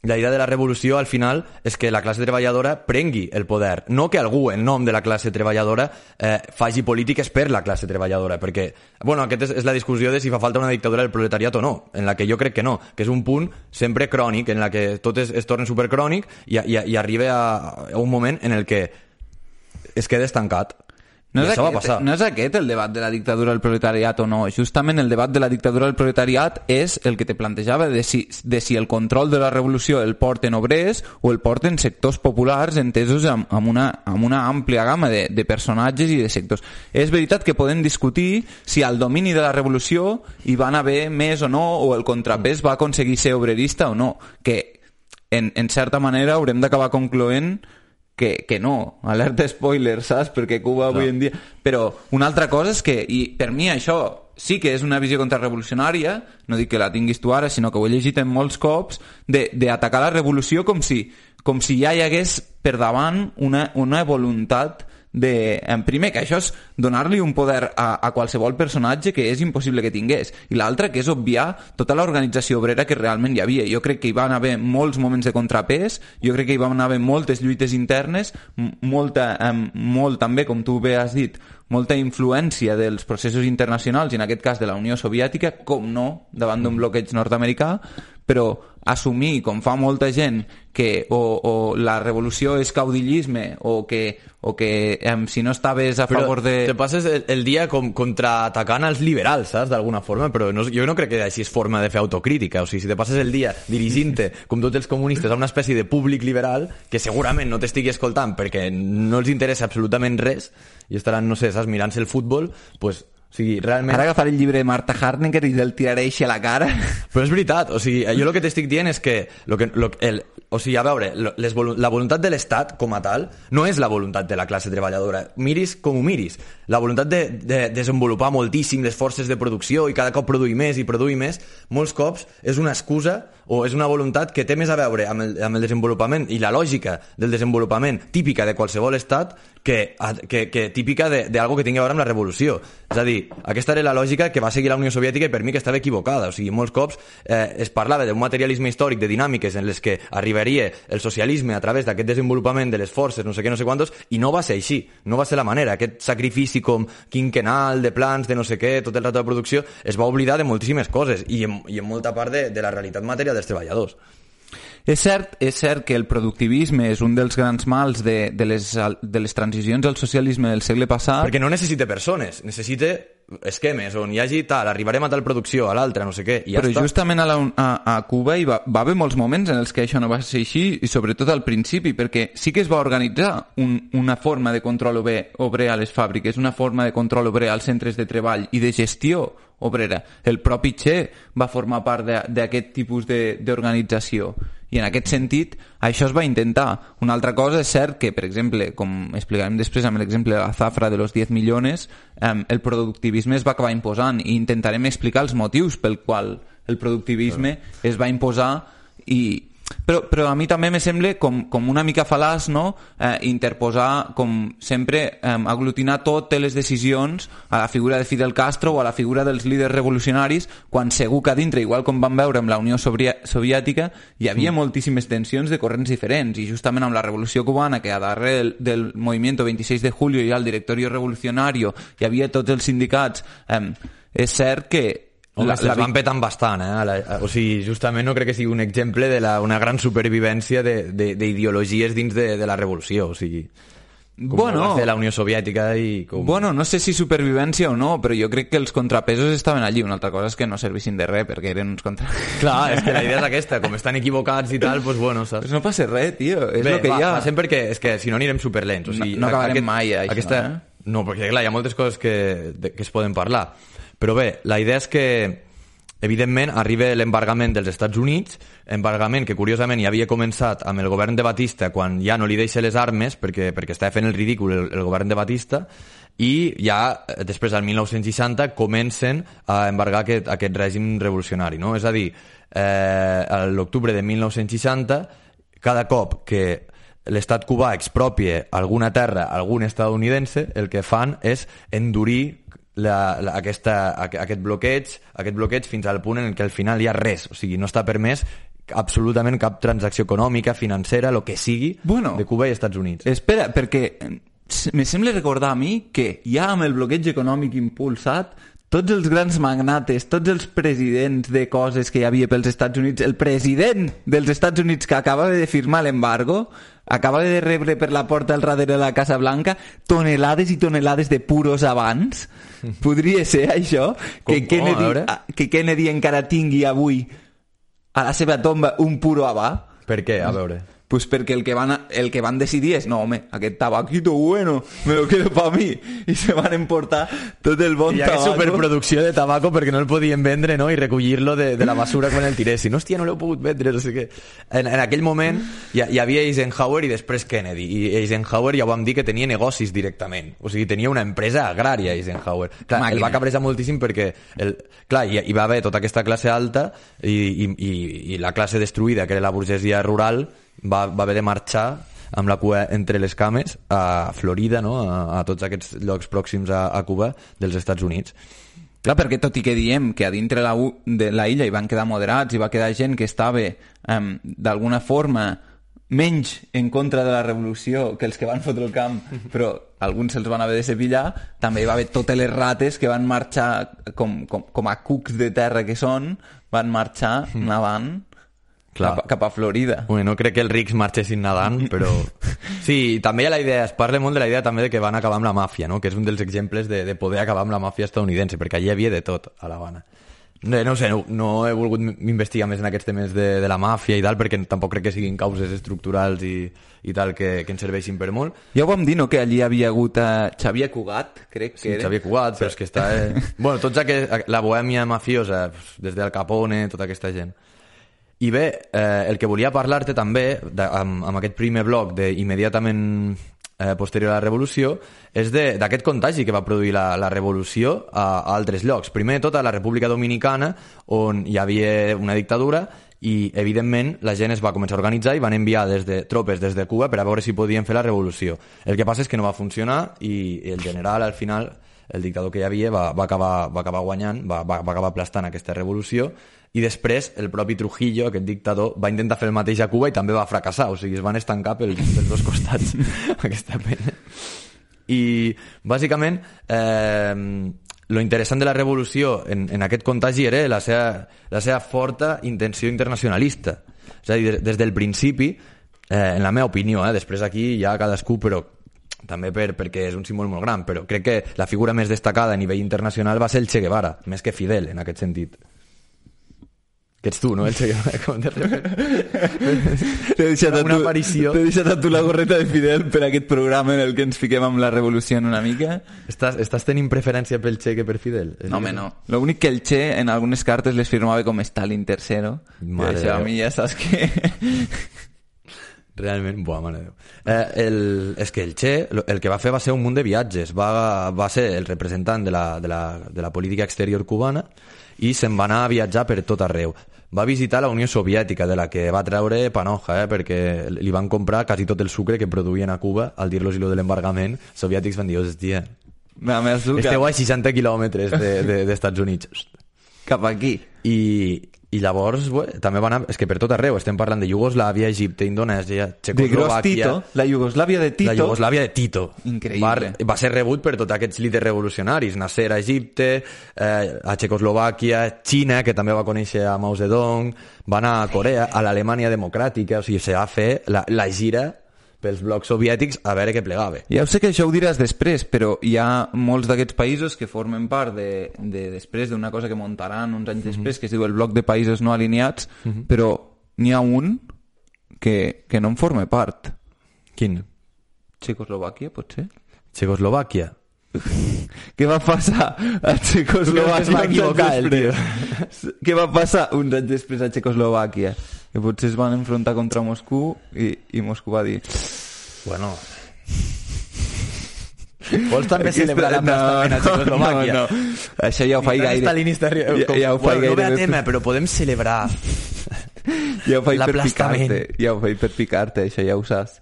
la idea de la revolució al final és que la classe treballadora prengui el poder, no que algú en nom de la classe treballadora eh, faci polítiques per la classe treballadora, perquè, bueno, aquesta és, és la discussió de si fa falta una dictadura del proletariat o no, en la que jo crec que no, que és un punt sempre crònic, en la que tot es, es torna supercrònic i, i, i arriba a, a un moment en el que es queda estancat. No és, això va aquest, passar. no és aquest el debat de la dictadura del proletariat o no. Justament el debat de la dictadura del proletariat és el que te plantejava de si, de si el control de la revolució el porten obrers o el porten sectors populars entesos amb, amb, una, amb una àmplia gamma de, de personatges i de sectors. És veritat que podem discutir si al domini de la revolució hi van haver més o no, o el contrapès va aconseguir ser obrerista o no, que en, en certa manera haurem d'acabar concloent que, que no, alerta spoiler, saps? Perquè Cuba avui en dia... Però una altra cosa és que, i per mi això sí que és una visió contrarrevolucionària, no dic que la tinguis tu ara, sinó que ho he llegit en molts cops, d'atacar la revolució com si, com si ja hi hagués per davant una, una voluntat de, en primer, que això és donar-li un poder a, a qualsevol personatge que és impossible que tingués, i l'altre que és obviar tota l'organització obrera que realment hi havia. Jo crec que hi van haver molts moments de contrapès, jo crec que hi van haver moltes lluites internes, molta, eh, molt també, com tu bé has dit, molta influència dels processos internacionals, i en aquest cas de la Unió Soviètica, com no, davant d'un bloqueig nord-americà, però assumir, com fa molta gent, que o, o la revolució és caudillisme o que, o que um, si no estaves a però favor de... te passes el, el dia com contraatacant els liberals, saps, d'alguna forma, però no, jo no crec que així és forma de fer autocrítica. O sigui, si te passes el dia dirigint-te, com tots els comunistes, a una espècie de públic liberal que segurament no t'estigui escoltant perquè no els interessa absolutament res i estaran, no sé, saps, mirant-se el futbol, pues... O sigui, realment... Ara agafar el llibre de Marta Harnecker i del tiraré així a la cara. Però és veritat, o sigui, jo el que t'estic dient és que, lo que lo, el, o sigui, a veure, les, la voluntat de l'Estat com a tal no és la voluntat de la classe treballadora. Miris com ho miris. La voluntat de, de desenvolupar moltíssim les forces de producció i cada cop produir més i produir més, molts cops és una excusa o és una voluntat que té més a veure amb el, amb el desenvolupament i la lògica del desenvolupament típica de qualsevol estat que, que, que típica d'algo que tingui a veure amb la revolució. És a dir, aquesta era la lògica que va seguir la Unió Soviètica i per mi que estava equivocada. O sigui, molts cops eh, es parlava d'un materialisme històric de dinàmiques en les que arribaria el socialisme a través d'aquest desenvolupament de les forces, no sé què, no sé quantos, i no va ser així, no va ser la manera. Aquest sacrifici com quinquenal, de plans, de no sé què, tot el rato de producció, es va oblidar de moltíssimes coses i en, i en molta part de, de la realitat material dels treballadors. És cert, és cert que el productivisme és un dels grans mals de, de, les, de les transicions al socialisme del segle passat. Perquè no necessita persones, necessita esquemes on hi hagi tal, arribarem a tal producció, a l'altra, no sé què, i ja Però està. justament a, la, a, a Cuba hi va, va haver molts moments en els que això no va ser així, i sobretot al principi, perquè sí que es va organitzar un, una forma de control obrer, obrer a les fàbriques, una forma de control obrer als centres de treball i de gestió obrera. El propi Che va formar part d'aquest tipus d'organització. I en aquest sentit, això es va intentar. Una altra cosa és cert que, per exemple, com explicarem després amb l'exemple de la zafra de los diez millones, eh, el productivisme es va acabar imposant i intentarem explicar els motius pel qual el productivisme es va imposar i... Però, però a mi també me sembla com, com una mica fal·laç, no? eh, interposar, com sempre, eh, aglutinar totes les decisions a la figura de Fidel Castro o a la figura dels líders revolucionaris, quan segur que a dintre, igual com vam veure amb la Unió Soviètica, hi havia mm. moltíssimes tensions de corrents diferents, i justament amb la Revolució Cubana, que a darrere del, del movimiento veintiséis de julio hi ha el directorio revolucionario, hi havia tots els sindicats, eh, és cert que Home, la, la, la van petant bastant, eh? La, o sigui, justament no crec que sigui un exemple de la, una gran supervivència d'ideologies dins de, de la revolució, o sigui... Com bueno, va fer la Unió Soviètica i com... Bueno, no sé si supervivència o no, però jo crec que els contrapesos estaven allí. Una altra cosa és que no servissin de res, perquè eren uns contrapesos. Clar, és que la idea és aquesta, com estan equivocats i tal, doncs bueno, saps? Pues no passa res, tio, és Bé, el que va, hi ha. Passem perquè és que si no anirem superlents. O sigui, no, no acabarem aquest, mai, això, aquesta... eh? No, perquè clar, hi ha moltes coses que, de, que es poden parlar. Però bé, la idea és que evidentment arriba l'embargament dels Estats Units, embargament que curiosament ja havia començat amb el govern de Batista quan ja no li deixa les armes perquè, perquè estava fent el ridícul el, el govern de Batista, i ja després del mil nou-cents seixanta comencen a embargar aquest, aquest règim revolucionari, no? És a dir, eh, a l'octubre de mil nou-cents seixanta, cada cop que l'estat cubà expropie alguna terra, algun estadounidense, el que fan és endurir La, la, aquesta, aquest bloqueig aquest bloqueig fins al punt en què al final hi ha res, o sigui, no està permès absolutament cap transacció econòmica, financera, el que sigui, bueno, de Cuba i Estats Units. Espera, perquè me sembla recordar a mi que ja amb el bloqueig econòmic impulsat, tots els grans magnates, tots els presidents de coses que hi havia pels Estats Units, el president dels Estats Units que acaba de firmar l'embargo, acaba de rebre per la porta al darrere de la Casa Blanca tonelades i tonelades de puros abans. Podria ser això? Com, que, Kennedy, com, que Kennedy encara tingui avui a la seva tomba un puro habà? Per què? A veure... Pues perquè el que, van a, el que van decidir és no, home, aquest tabaquito bueno me lo quedo pa mi, i se van emportar tot el bon I hi ha tabaco. superproducció de tabaco perquè no el podien vendre, no? I recollir-lo de, de la basura quan el tiressin. Hòstia, no l'heu pogut vendre, no sé què. En, en aquell moment hi, hi havia Eisenhower i després Kennedy, i Eisenhower ja ho vam dir que tenia negocis directament, o sigui, tenia una empresa agrària Eisenhower. Clar, Màquina. el va cabrejar moltíssim perquè el, clar, hi, hi va haver tota aquesta classe alta i, i, i, i la classe destruïda, que era la burgesia rural, va, va haver de marxar amb la cua entre les cames a Florida, no? a, a tots aquests llocs pròxims a, a Cuba dels Estats Units. Clar, perquè tot i que diem que a dintre la, de la illa hi van quedar moderats, hi va quedar gent que estava um, d'alguna forma menys en contra de la revolució que els que van fotre el camp, però alguns se'ls van haver de cepillar, també hi va haver totes les rates que van marxar com, com, com a cucs de terra que són, van marxar nevant cap, cap a Florida. Bueno, no crec que els rics marxessin nedant, però... Sí, també hi ha la idea, es parla molt de la idea també de que van acabar amb la màfia, no? Que és un dels exemples de, de poder acabar amb la màfia estadounidense, perquè allí hi havia de tot, a l'Havana. No, no sé, no, no he volgut investigar més en aquests temes de, de la màfia i tal, perquè tampoc crec que siguin causes estructurals i, i tal que, que ens serveixin per molt. Ja ho vam dir, no?, que allí havia hagut a Xavier Cugat, crec que sí, era. Xavier Cugat, però és que està... Eh... bueno, tots aquest, la bohèmia mafiosa, des del Capone, tota aquesta gent. I bé, eh, el que volia parlar-te també, de, amb, amb aquest primer bloc d'immediatament eh, posterior a la revolució, és d'aquest contagi que va produir la, la revolució a, a altres llocs. Primer de tot a la República Dominicana, on hi havia una dictadura, i evidentment la gent es va començar a organitzar i van enviar des de, tropes des de Cuba per a veure si podien fer la revolució. El que passa és que no va funcionar i el general, al final, el dictador que hi havia, va, va, acabar, va acabar guanyant, va, va, va acabar aplastant aquesta revolució, i després el propi Trujillo, aquest dictador, va intentar fer el mateix a Cuba i també va fracassar, o sigui, es van estancar pels, pels dos costats aquesta pena. I bàsicament eh, lo interessant de la revolució en, en aquest contagi era la seva, la seva forta intenció internacionalista. És a dir, des del principi, eh, en la meva opinió, eh, després aquí hi ha cadascú, però també per, perquè és un símbol molt gran, però crec que la figura més destacada a nivell internacional va ser el Che Guevara, més que Fidel, en aquest sentit. Que ets tu, no? El Che Guevara, com de T'he deixat, una aparició. T'he deixat a tu la gorreta de Fidel per aquest programa en el que ens fiquem amb la revolució en una mica. Estàs, estàs tenint preferència pel Che que per Fidel? No, home, no. L'únic que el Che en algunes cartes les firmava com Stalin tercero. Mare això a Déu. mi ja saps que... Realment, buah, mare de Déu. Eh, el, és que el Che, el que va fer va ser un munt de viatges. Va, va ser el representant de la, de, la, de la política exterior cubana i se'n va anar a viatjar per tot arreu. Va visitar la Unió Soviètica, de la que va treure panoja, eh, perquè li van comprar quasi tot el sucre que produïen a Cuba. Al dir-los lo de l'embargament, els soviètics van dir, hòstia, esteu a seixanta quilòmetres d'Estats de, Units. Cap aquí. I, i llavors bé, també van anar, és que per tot arreu estem parlant de Iugoslàvia, Egipte, Indonèsia, Txecoslovàquia, la Iugoslàvia de Tito, la Iugoslàvia de Tito. Increïble. Va, va ser rebut per tots aquests líders revolucionaris, Nasser a Egipte, eh, a Txecoslovàquia, Xina, que també va conèixer a Mao Zedong, va anar a Corea, a l'Alemanya democràtica, o sigui, se va fer la, la gira pels blocs soviètics a veure què plegava. Ja ho sé que això ho diràs després, però hi ha molts d'aquests països que formen part de, de després d'una cosa que muntaran uns anys després, mm-hmm. que es diu el bloc de països no alineats, mm-hmm. però n'hi ha un que, que no en forma part. Quin? Txecoslovàquia, potser? Txecoslovàquia? Què va passar a Txecoslovàquia? Es va equivocar el tio. Què va passar uns anys després a Txecoslovàquia? Que potser es van enfrontar contra Moscou i, i Moscou va dir... Bueno... Vols també celebrar l'aplastament a Txecoslovàquia? No, no, això ja ho faig gaire. Stalinista, ja, ja ho faig bueno, gaire. No ve a tema, però podem celebrar ja ho faig per picar-te. Ja ho faig per picar-te, això ja ho saps.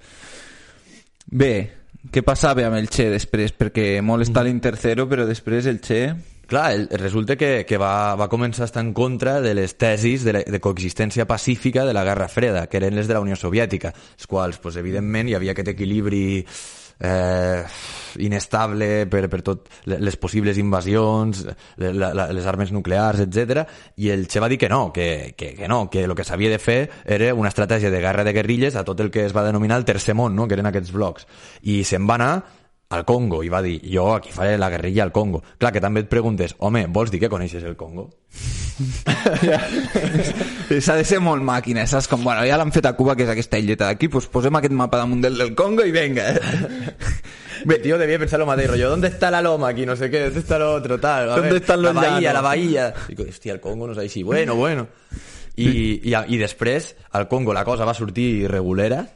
Bé, què passava amb el Che després? Perquè molt Stalin tercero, però després el Che... Clar, el, resulta que, que va, va començar a estar en contra de les tesis de, la, de coexistència pacífica de la Guerra Freda, que eren les de la Unió Soviètica, els quals, pues, evidentment, hi havia aquest equilibri eh, inestable per, per tot les possibles invasions, la, la, les armes nuclears, etcètera, i el Che va dir que no, que, que, que no, que el que s'havia de fer era una estratègia de guerra de guerrilles a tot el que es va denominar el Tercer Món, no? Que eren aquests blocs. I se'n va anar al Congo, i va dir, jo aquí faré la guerrilla al Congo. Clar, que també et preguntes, home, vols dir que coneixes el Congo? S'ha de ser molt màquina, saps? Com, bueno, ja l'han fet a Cuba, que és aquesta illeta d'aquí, doncs posem aquest mapa damunt del, del Congo i venga. Bé, tío, debía pensar lo más de rollo, ¿dónde está la loma aquí? No sé qué, ¿dónde está lo otro? Tal, ¿Dónde ver, están los la bahía, llanos? la bahía. Digo, hòstia, el Congo no sé si, bueno, bueno. I, i, i després, al Congo la cosa va sortir regulera,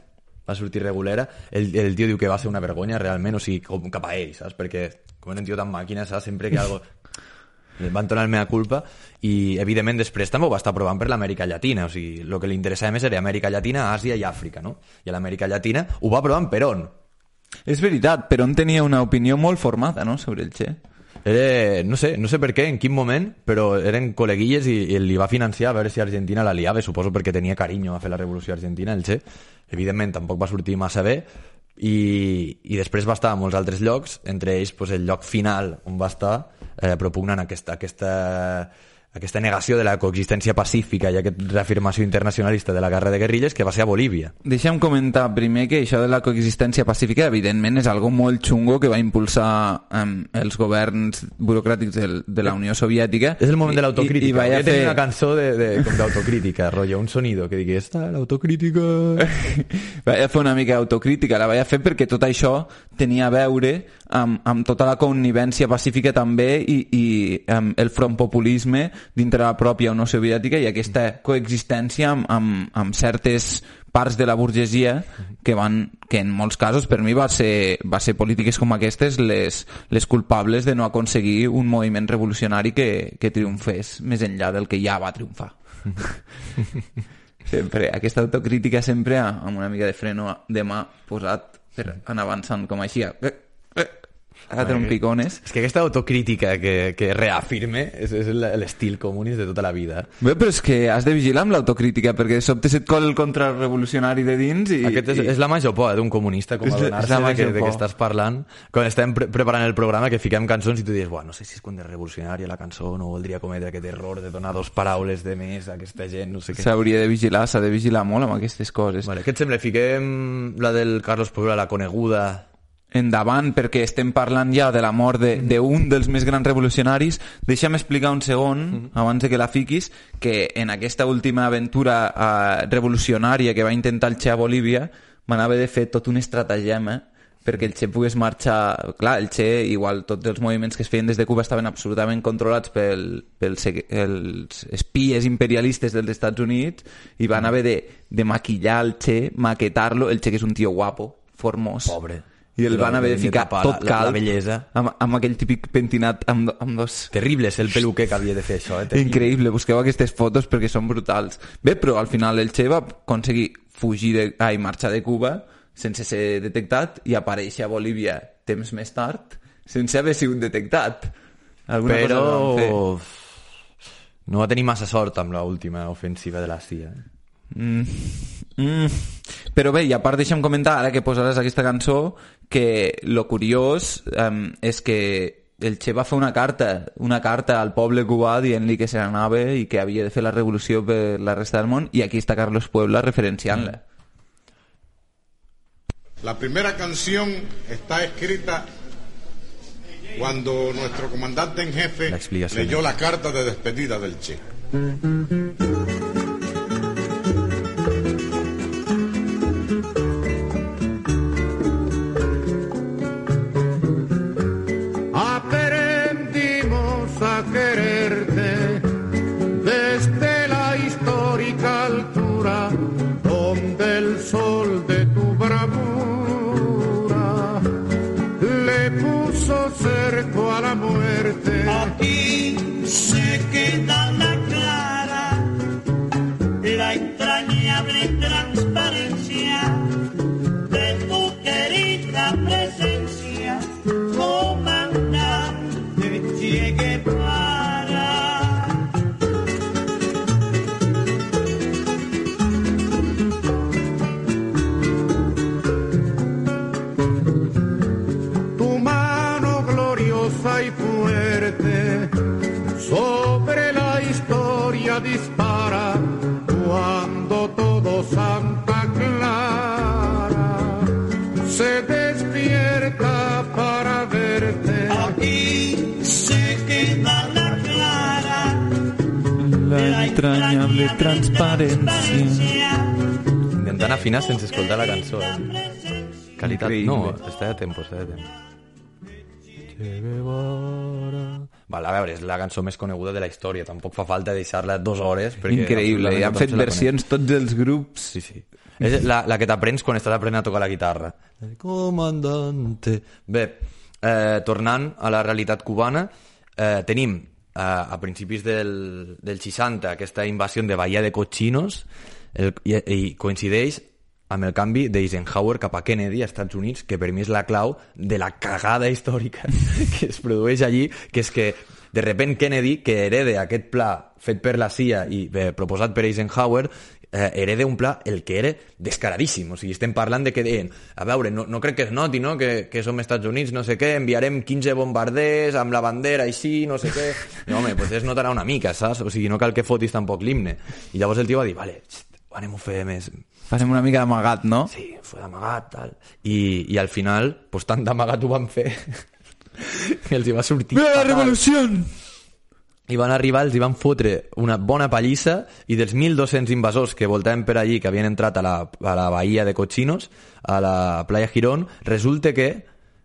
va sortir regulera, el, el tio diu que va ser una vergonya realment, o sigui, com cap a ell, saps? Perquè com era un tio tan màquina, saps? Sempre que algo van tornar el mea culpa, i evidentment després també ho va estar provant per l'Amèrica Llatina, o sigui, el que li interessava més era Amèrica Llatina, Àsia i Àfrica, no? I a l'Amèrica Llatina ho va provar en Perón. És veritat, Perón tenia una opinió molt formada, no?, sobre el Che. Era, no sé, no sé per què, en quin moment, però eren col·leguilles i, i li va financiar a veure si Argentina la liava, suposo perquè tenia carinyo a fer la revolució argentina, el Che. Evidentment tampoc va sortir massa bé, i, i després va estar a molts altres llocs, entre ells pues, el lloc final on va estar eh, propugnant aquesta, aquesta, aquesta negació de la coexistència pacífica i aquesta reafirmació internacionalista de la guerra de guerrilles, que va ser a Bolívia. Deixa'm comentar primer que això de la coexistència pacífica evidentment és algo molt xungo que va impulsar um, els governs burocràtics de, de la Unió Soviètica. És el moment de l'autocrítica. I, i Volia fer... tenir una cançó de, de, com d'autocrítica, rotllo, un sonido que digui, esta, l'autocrítica... Vaig fer una mica d'autocrítica, la vaig fer perquè tot això tenia a veure amb, amb tota la connivència pacífica també i, i um, el front populisme dintre la pròpia Unió Soviètica i aquesta coexistència amb, amb, amb certes parts de la burgesia que van, que en molts casos per mi va ser, va ser polítiques com aquestes les, les culpables de no aconseguir un moviment revolucionari que, que triomfés més enllà del que ja va triomfar. Sempre, aquesta autocrítica sempre amb una mica de freno de mà posat per anar avançant com així. Ara té un picones. És que aquesta autocrítica que, que reafirme és, és l'estil comunista de tota la vida. Bé, però és que has de vigilar amb l'autocrítica perquè de sobte se't cola el contrarrevolucionari de dins i... Aquest és, i... és la major por d'un comunista, com adonar-se de, que, de que estàs parlant quan estem pre preparant el programa, que fiquem cançons i tu dius, no sé si és contrarrevolucionària la cançó, no voldria cometre aquest error de donar dos paraules de més a aquesta gent, no sé què. S'hauria de vigilar, s'ha de vigilar molt amb aquestes coses. Vale, què et sembla? Fiquem la del Carlos Puyol, la coneguda... endavant, perquè estem parlant ja de la mort d'un de, de dels més grans revolucionaris. Deixa'm explicar un segon, mm-hmm. abans de que la fiquis, que en aquesta última aventura uh, revolucionària que va intentar el Che a Bolívia, van haver de fer tot un estratagema perquè el Che pogués marxar... Clar, el Che, igual tots els moviments que es feien des de Cuba estaven absolutament controlats pel, pels els espies imperialistes dels Estats Units i van haver de, de maquillar el Che, maquetar-lo, el Che que és un tio guapo, formós. Pobre. I el van haver de ficar tot la, calb, la bellesa. Amb, amb aquell típic pentinat amb, amb dos... Terrible, és el peluquer que havia de fer això. Eh? Terrible. Increïble, busqueu aquestes fotos perquè són brutals. Bé, però al final el Che va aconseguir fugir de, ai, marxar de Cuba sense ser detectat i aparèixer a Bolívia temps més tard sense haver sigut detectat. Alguna però cosa no va tenir massa sort amb l'última ofensiva de la C I A. Mm. Mm. Però bé, i a part deixa'm comentar ara que posaràs aquesta cançó que lo curiós um, és que el Che va fer una carta una carta al poble cubà dient-li que se n'anava i que havia de fer la revolució per la resta del món, i aquí està Carlos Puebla referenciant-la. La primera canción está escrita cuando nuestro comandante en jefe leyó la carta de despedida del Che. Aprendimos a quererte desde la histórica altura donde el sol de tu bravura le puso cerco a la muerte. Aquí se queda la clara, la entrañable transparencia de tu querida presencia, comandante Che Guevara. memoria dispara cuando todo Santa Clara se despierta para verte. Aquí se queda la clara, la entrañable transparència. Intentant afinar sense escoltar la cançó. Eh? Qualitat... Increïble. No, està de temps, està de temps. Vale, a veure, és la cançó més coneguda de la història. Tampoc fa falta deixar-la dues hores. Increïble, i han fet versions tots els grups. Sí, sí. És la, la que t'aprens quan estàs aprenent a tocar la guitarra. Comandante. Bé, eh, tornant a la realitat cubana, eh, tenim eh, a principis del, del seixanta aquesta invasió de Bahia de Cochinos, el, i, i coincideix amb el canvi d'Eisenhower cap a Kennedy als Estats Units, que per mi és la clau de la cagada històrica que es produeix allí, que és que de repent Kennedy, que hereda aquest pla fet per la C I A i eh, proposat per Eisenhower, eh, hereda un pla el que era descaradíssim. O sigui, estem parlant de que deien, a veure, no, no crec que es noti, no?, que, que som Estats Units, no sé què, enviarem quinze bombarders amb la bandera així, no sé què. No, home, pues es notarà una mica, saps? O sigui, no cal que fotis tampoc l'himne. I llavors el tio va dir, vale, anem-ho a fer més... Farem una mica d'amagat, no? Sí, fue d'amagat, tal. I, i al final, pues tant d'amagat ho van fer que els hi va sortir ¡Viva la fatal. revolució! I van arribar, els hi van fotre una bona pallissa, i dels mil dos-cents invasors que voltaven per allí, que havien entrat a la, a la bahia de Cochinos, a la playa Girón, resulta que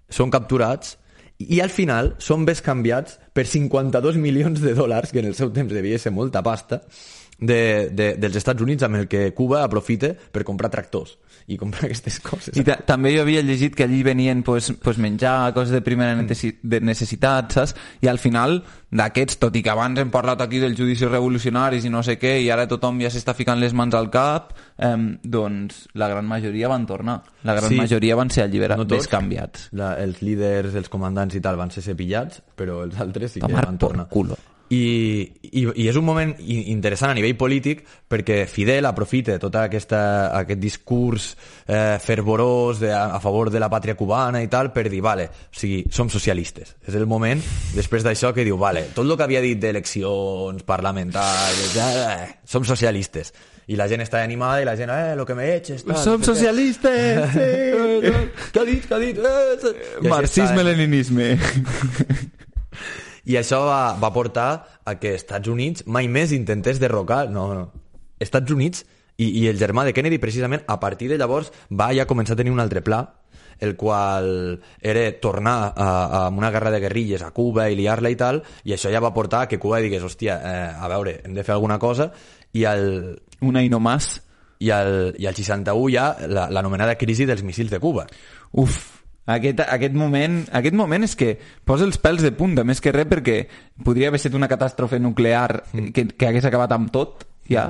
són capturats i al final són bescanviats per cinquanta-dos milions de dòlars, que en el seu temps devia ser molta pasta, de, de, dels Estats Units, amb el que Cuba aprofita per comprar tractors i comprar aquestes coses. I també jo havia llegit que allí venien pues, pues menjar, coses de primera de necessitat, saps? I al final d'aquests, tot i que abans hem parlat aquí dels judicis revolucionaris i no sé què, i ara tothom ja s'està ficant les mans al cap, eh, doncs la gran majoria van tornar. La gran sí, majoria van ser alliberats, no descanviats. La, els líders, els comandants i tal van ser cepillats, però els altres sí que Tomar van tornar. Culo. I, i, i és un moment interessant a nivell polític perquè Fidel aprofita tot aquesta, aquest discurs eh, fervorós de, a, a favor de la pàtria cubana i tal per dir, vale, o sigui, som socialistes. És el moment, després d'això, que diu, vale, tot el que havia dit d'eleccions parlamentàries, eh, som socialistes. I la gent està animada i la gent, eh, lo que me eches, tal. Som socialistes, sí! Què ha dit, què ha dit? Eh, Marxisme-leninisme. I això va, va portar a que Estats Units mai més intentés derrocar... No, no. Estats Units i, i el germà de Kennedy, precisament, a partir de llavors, va ja començar a tenir un altre pla, el qual era tornar a, a una guerra de guerrilles a Cuba i liar-la i tal, i això ja va portar a que Cuba digués, hòstia, eh, a veure, hem de fer alguna cosa, i al... Una i no más. I al, i al seixanta-u ja l'anomenada crisi dels míssils de Cuba. Uf, Aquest, aquest, moment, aquest moment és que posa els pèls de punta, més que res, perquè podria haver estat una catàstrofe nuclear que, que hagués acabat amb tot, ja.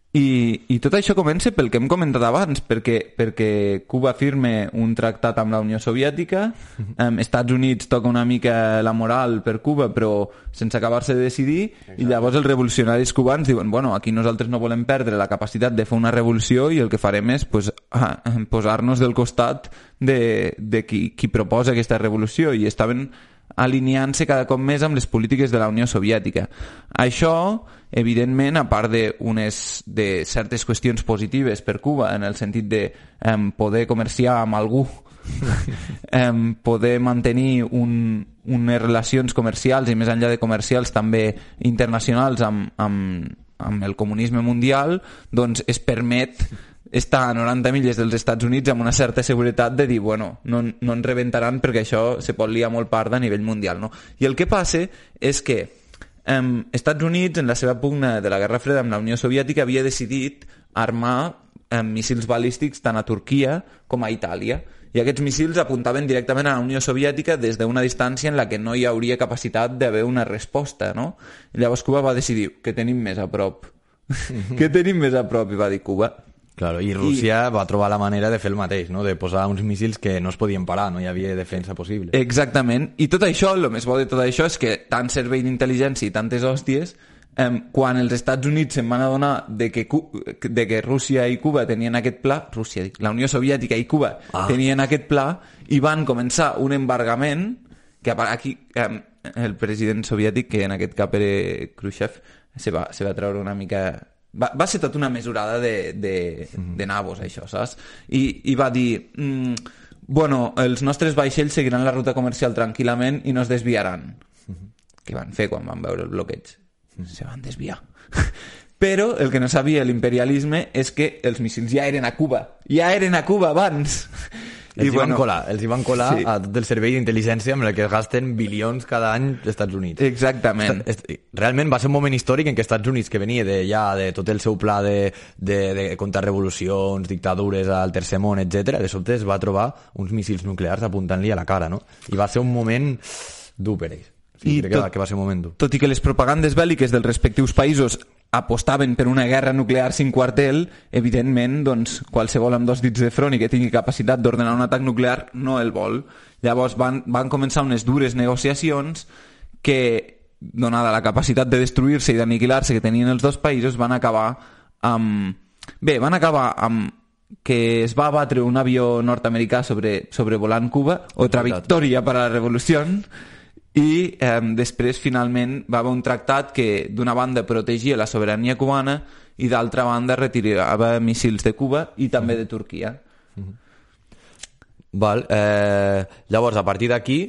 I, i tot això comença pel que hem comentat abans, perquè, perquè Cuba firma un tractat amb la Unió Soviètica, um, Estats Units toca una mica la moral per Cuba, però sense acabar-se de decidir. Exacte. I llavors els revolucionaris cubans diuen, bueno, aquí nosaltres no volem perdre la capacitat de fer una revolució i el que farem és pues, ah, posar-nos del costat de, de qui, qui proposa aquesta revolució, i estaven alineant-se cada cop més amb les polítiques de la Unió Soviètica. Això, evidentment, a part de, unes, de certes qüestions positives per Cuba, en el sentit de um, poder comerciar amb algú, um, poder mantenir un, unes relacions comercials i més enllà de comercials també internacionals amb, amb, amb el comunisme mundial, doncs es permet està a noranta milles dels Estats Units amb una certa seguretat de dir, bueno, no, no ens rebentaran perquè això se pot liar molt part a nivell mundial, no? I el que passa és que eh, Estats Units, en la seva pugna de la Guerra Freda amb la Unió Soviètica, havia decidit armar eh, míssils balístics tant a Turquia com a Itàlia, i aquests míssils apuntaven directament a la Unió Soviètica des d'una distància en la que no hi hauria capacitat d'haver una resposta, no? I llavors Cuba va decidir, què tenim més a prop? Què tenim més a prop? I va dir Cuba. Claro, i Rússia I... va trobar la manera de fer el mateix, no? De posar uns míssils que no es podien parar, no hi havia defensa possible. Exactament, i tot això, el més bo de tot això és que tant servei d'intel·ligència i tantes hòsties, eh, quan els Estats Units se'n van adonar de que, de que Rússia i Cuba tenien aquest pla, Rússia, la Unió Soviètica i Cuba ah. tenien aquest pla, i van començar un embargament que aquí eh, el president soviètic, que en aquest cap era Khrushchev, se va, se va treure una mica... Va, va ser tota una mesurada de, de, de nabos, això, saps? I, i va dir... Mm, bueno, els nostres vaixells seguiran la ruta comercial tranquil·lament i no es desviaran. Què van fer quan van veure el bloqueig? Se van desviar. Però el que no sabia l'imperialisme és que els míssils ja eren a Cuba. Ja eren a Cuba abans. Els I hi bueno, van colar, els hi van colar sí. a tot el servei d'intel·ligència amb el que es gasten bilions cada any als Estats Units. Exactament. Realment va ser un moment històric en què Estats Units, que venia de, ja de tot el seu pla de, de, de contrarrevolucions, dictadures al tercer món, etcètera, de sobte es va trobar uns míssils nuclears apuntant-li a la cara, no? I va ser un moment dur per ells. Sí, I crec tot, que, va, que va ser un moment dur. Tot i que les propagandes bèl·liques dels respectius països apostaven per una guerra nuclear sin quartel, evidentment, doncs, qualsevol amb dos dits de front i que tingui capacitat d'ordenar un atac nuclear no el vol. Llavors van, van començar unes dures negociacions que, donada la capacitat de destruir-se i d'aniquilar-se que tenien els dos països, van acabar amb... Bé, van acabar amb que es va abatre un avió nord-americà sobre, sobrevolant Cuba, otra victòria per a la revolució, i eh, després finalment va haver un tractat que d'una banda protegia la sobirania cubana i d'altra banda retirava míssils de Cuba i també de Turquia. Val, eh, llavors a partir d'aquí